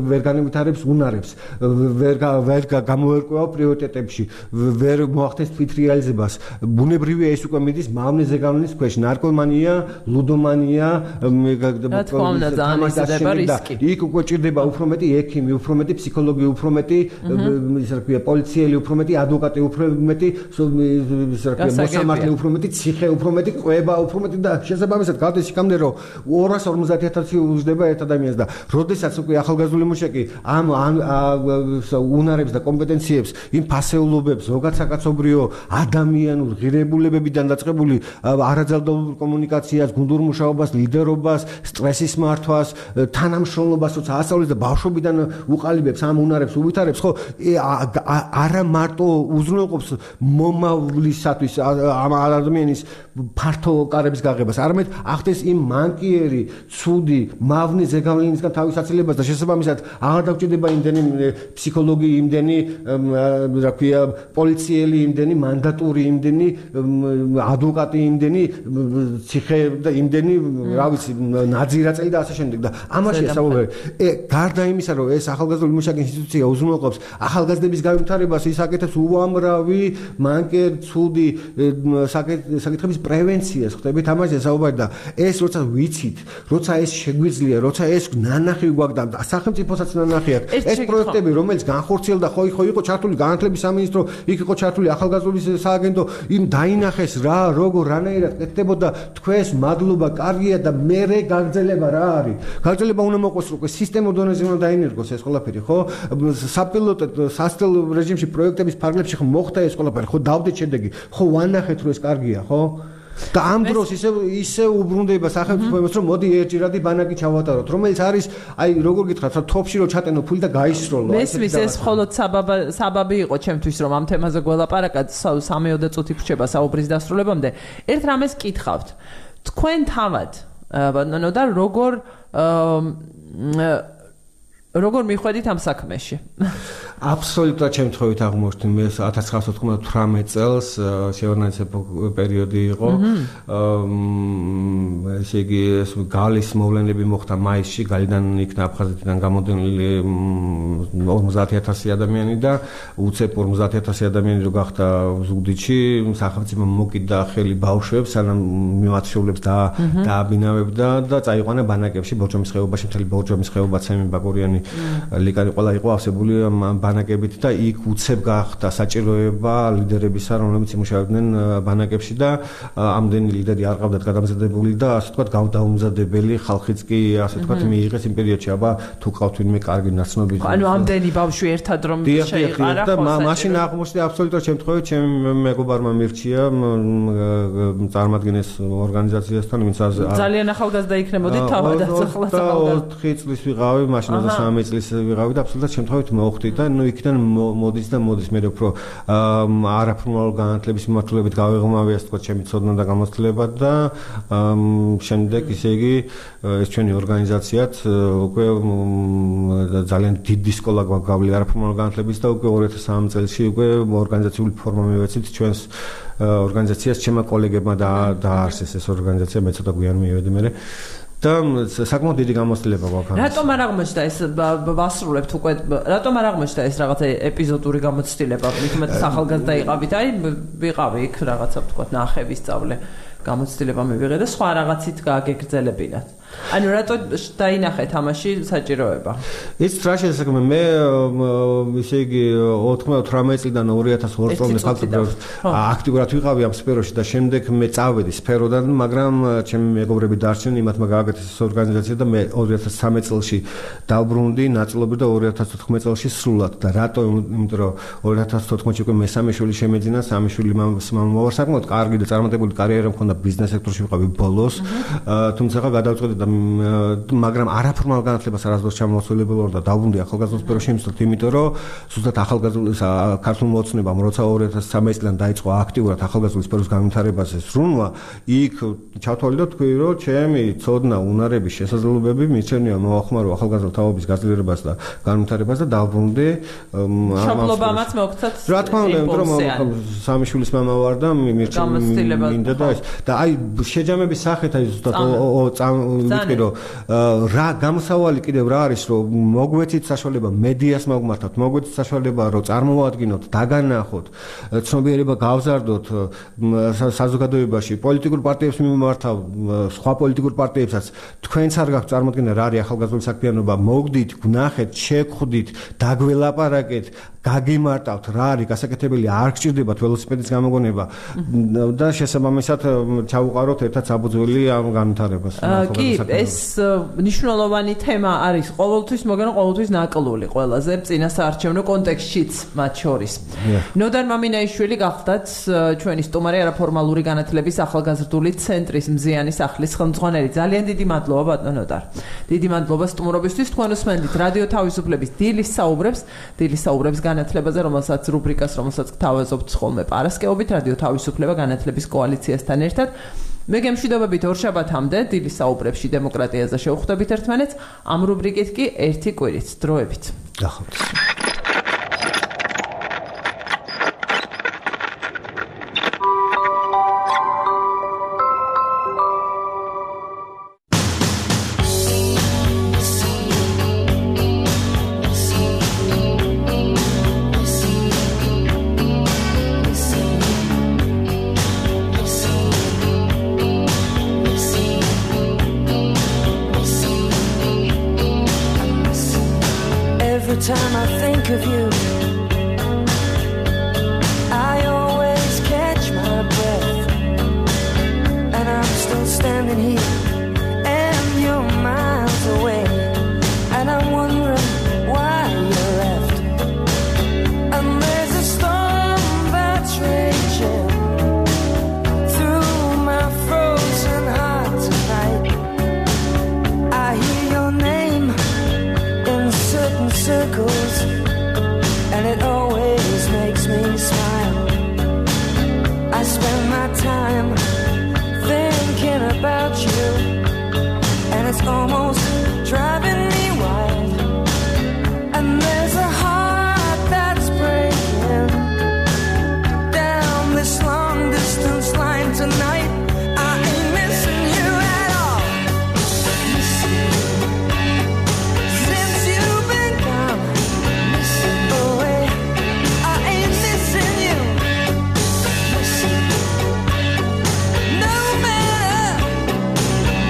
ვერ განვითარებს უნარებს, ვერ გამოერკვევა პრიორიტეტებში, ვერ მოახდენს თვითრეალიზებას, ბუნებრივია ეს უკვე მიდის მავნე ზეგავლენის ქვეშ, ნარკომანია, ლუდომანია, იქ უკვე ჭირდება უფრო მეტი ექიმი, უფრო მეტი ფსიქოლოგი, უფრო მეტი ისე რა ქვია პოლიციელი, უფრო მეტი ადვოკატი, უფრო მეტი ისე რა ქვია მოსამართლე, უფრო მეტი ციხე, უფრო მეტი ყვება, უფრო მეტი და შესაბამისად გავდეს იქამდე რომ 250,000 უჯდება ერთ ადამიანს და როდესაც უკვე ახალგაზრდული მუშაკი ამ უნარებს და კომპეტენციებს იმ ფასეულობებს ზოგად საკაცობრიო ადამიანურ ღირებულებებიდან დაწყებული არაძალდაობრივ კომუნიკაციას, გუნდურ მუშაობას, ლიდერობას, სტრესის მართვას, თანამშრომლობას როცა ასწავლებს და ბავშვობიდან უყალიბებს ამ უნარებს, უვითარებს, ხო, არა მარტო უზრუნველყოფს მომავლისათვის ამ ადამიანის ფართო კარების გაღებას, არამედ ახდენს იმ მანკიერი, ცუდი, მავნე ზეგავლენისგან თავის აცილებას და შესაბამისად აღარ დაგვჭირდება იმდენი ფსიქოლოგი, იმდენი რა ქვია პოლიციელი, იმდენი მანდატური, იმდენი ადვოკატი, იმდენი ციხე და იმდენი რა ვიცი ნაძირაწელი და ასე შემდეგ და ამაშია საუბარი. გარდა იმისა რომ ეს ახალგაზრდული მუშაკის ინსტიტუცია უზრუნველყოფს ახალგაზრდების განვითარებას, ის აკეთებს უამრავი მანკერ ცუდი საკითხების პრევენციას, ხდებით ამაზე საუბარი და ეს როცა ვიცით, როცა ეს შეგვიძლია, როცა ეს ნანახი გვაქვს და სახელმწიფოსაც ნანახი აქვს, ეს პროექტები რომელიც განხორციელდა ხო იყო ჩართული განათლების სამინისტრო, იქ იყო ჩართული ახალგაზრდობის სააგენტო, იმ დაინახეს რა როგორ რანაირად კეთდებოდა, თქვენს მადლობა კარგია და მერე გაგრძელება რა არის? გაგრძელება უნდა მოყოს უკვე სისტემურ დონეზე უნდა დაინერგოს ეს ყველაფერი, ხო? საპილოტო სასწავლო რეჟიმში პროექტების ფარგლებში ხო მოხდა ეს ყველაფერი, ხო დავდეთ შედეგი, ხო ვანახეთ რომ ეს კარგია, ხო? და ამ დროს ისე უბრუნდება სახელმწიფო იმას რომ მოდი ერთჯერადი ბანაკი ჩავატაროთ, რომელიც არის აი როგორ გითხრათ, თოფში რომ ჩატენო ფული და გაისროლო. მესმის ეს მხოლოდ საბაბი იყო ჩემთვის რომ ამ თემაზე გველაპარაკოთ, 3-4 წუთი ვრჩება საუბრის დასრულებამდე. ერთ რამეს კითხავთ. თქვენ თავად ბატონო და როგორ მიხვედით ამ საქმეში? აბსოლუტურად შემთხვევით აღმოჩნდა მე 1998 წელს შეორგანიზებო პერიოდი იყო. ესე იგი ეს გალის მოვლენები მოხდა მაისში, გალიდან იქნა აფხაზეთიდან გამოდენილი 50,000 ადამიანი და უცებ 50,000 ადამიანი რო გახდა ზუგდიდში, სახელმწიფო მოკიდა ხელი ბავშვებს, სანამ მიმართულებს დააბინავებდა და წაიყვანა ბანაკებში, ბორჯომის ხეობაში, მთელი ბორჯომის ხეობა, ცემი ბაკურიანი, ლიკანი ყველა იყო ავსებული ბანაკებით და იქ უცებ გახდა საჭიროება ლიდერებისა, რომლებიც იმუშავებდნენ ბანაკებში და ამდენი ლიდერი არ ყავდათ გადამზადებული და ასე ვთქვათ გავდაუმზადებელი ხალხიც კი ასე ვთქვათ მიიღეს იმ პერიოდში, აბა თუ ყავთ ვინმე კარგი ნაცნობი. ანუ ამდენი ბავშვი ერთად რომ შეიყარა და მაშინ აღმოჩნდა აბსოლუტურად შემთხვევით ჩემ მეგობარმა მირჩია წარმოგადგენს ორგანიზაციასთან, ვინც ძალიან ახალგაზრდა იქნებოდით თავადაც ახლა 4 წლის ვიყავი, მაშინ 23 წლის ვიყავი და აბსოლუტურად შემთხვევით მოვხდი და ნუ იქიდან მოდის მე უფრო არაფორმალურ განათლების მიმართულებით გავეღმავე ასე ვთქვათ ჩემი ცოდნა და გამოცდილება და შემდეგ ისე იგი ეს ჩვენი ორგანიზაციაც უკვე ძალიან დიდი სკოლა გვაქვს არაფორმალურ განათლების და უკვე 2003 წელს უკვე ორგანიზაციული ფორმა მივეცით ჩვენს ორგანიზაციას ჩემმა კოლეგებმა დააარსეს ეს ორგანიზაცია მე ცოტა გვიან მივედი მე და საკმაოდ დიდი გამოცდილება გვაქვს. რატომ არ აღმოჩნდა ეს ვასრულებთ უკვე რატომ არ აღმოჩნდა ეს რაღაცა ეპიზოდური გამოცდილება? მithumetes ახალგაზრდა იყავით, აი ვიყავი იქ რაღაცა ვთქვათ ნახევის სწავლე გამოცდილება მივიღე და სხვა რაღაცით გააგეგრძელებინათ. ანუ რატო დაინახეთ ამაში საჭიროება? ის რა შესაძლოა მე ისე იგი 98 წლიდან 2002 წლამდე ფაქტობრივად აქტიურად ვიყავი ამ სფეროში და შემდეგ მე წავედი სფეროდან, მაგრამ ჩემი მეგობრები დარჩნენ, იმათმა გააკეთეს ეს ორგანიზაცია და მე 2013 წელში დავბრუნდი ნაწილობრივ და 2014 წელში სრულად და რატო? იმიტომ რომ 2014 უკვე მესამე შვილი შემეძინა, სამი შვილი მამამოვა, საკმაოდ კარგი და წარმატებული კარიერა მქონდა ბიზნეს სექტორში ვიყავი ბოლოს, თუმცა გადავწყვეტი და მაგრამ არაფორმალ განათლებას არასდროს ჩამოაცვლილებელო და დაუბრუნდი ახალგაზრდულ სფეროში იმისათვის, იმიტომ რომ ზუსტად ახალგაზრდულ ქართულ მოცნებამ როცა 2013 წლიდან დაიწყო აქტიურად ახალგაზრდულ სფეროს განვითარებაზე სრულმა, იქ ჩავთვალე და თქვი, რომ ჩემი ცოდნა, უნარების შესაძლებლობები მისცემია მოახმარო ახალგაზრდა თაობის გაძლიერებას და განვითარებას და დაუბრუნდი მშობლობამაც მოგცათ. რა თქმა უნდა, იმიტომ რომ სამი შვილის მამა ვარ და მინდა და აი შეჯამების სახით აი ზუსტად ვიტყვი რომ რა გამოსავალი კიდევ რა არის რომ მოგვეცით საშუალება მედიას მოგმართოთ, მოგვეცით საშუალება რომ წარმოვადგინოთ, დაგანახოთ, ცნობიერება გავზარდოთ საზოგადოებაში, პოლიტიკურ პარტიებს მიმართავ, სხვა პოლიტიკურ პარტიებსაც თქვენც არ გაქვთ წარმოდგენა რა არის ახალგაზრდული საქმიანობა, მოგდით, ვნახეთ, შეგხვდით, დაგველაპარაკეთ, გაგიმარტავთ რა არის გასაკეთებელი, არ გჭირდებათ ველოსიპედის გამოგონება და შესაბამისად ჩავუყაროთ ერთად საფუძველი ამ განვითარებას. კი, ეს მნიშვნელოვანი თემა არის ყოველთვის, მაგრამ ყოველთვის ნაკლული ყველაზე წინასაარჩევნო კონტექსტშიც მათ შორის. ნოდარ მამინაიშვილი გახდათ ჩვენი სტუმარი არაფორმალური განათლების ახალგაზრდული ცენტრის მზიანის ახლის ხელმძღვანელი. ძალიან დიდი მადლობა ბატონო ნოდარ. დიდი მადლობა სტუმრობისთვის. თქვენ უსმენთ რადიო თავისუფლების დილის საუბრებს განათლებაზე, რომელსაც რუბრიკას, რომელსაც გთავაზობთ ხოლმე პარასკევობით რადიო თავისუფლება განათლების კოალიციასთან ერთად. მე გემშვიდობებით ორშაბათამდე დილის საუბრებში დემოკრატიაზე შევხვდებით ერთმანეთს. ამ რუბრიკით კი ერთი კვირით დროებით. გახავთ. Time I think of you, I always catch my breath, and I'm still standing here, and you're miles away, and I'm wondering why you left. And there's a storm that's raging through my frozen heart tonight. I hear your name in certain circles, and it always makes me smile. I spend my time thinking about you, and it's almost driving me wild. And there's a heart that's breaking down this long distance line tonight. I ain't missing you at all. Since you've been gone away, I ain't missing you. No matter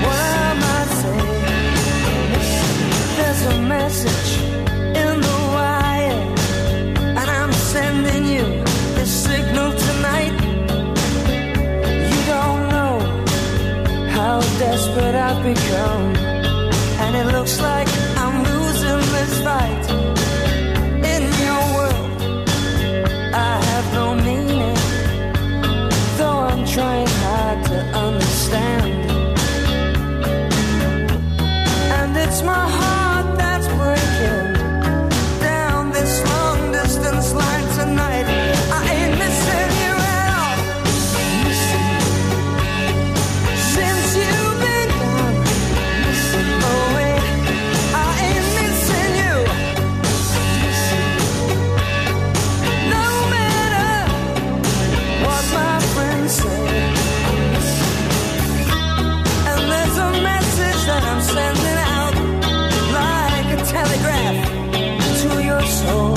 what I might say, there's a message in the wire, and I'm sending you this signal tonight. You don't know how desperate I've become, and it looks like I'm losing this fight. In your world, I have no meaning, though I'm trying hard to understand. And it's my heart that's breaking down this long distance line tonight. I ain't missing you at all. Since you've been gone away, I ain't missing you. No matter what my friends say. And there's a message that I'm sending out like a telegraph to your soul.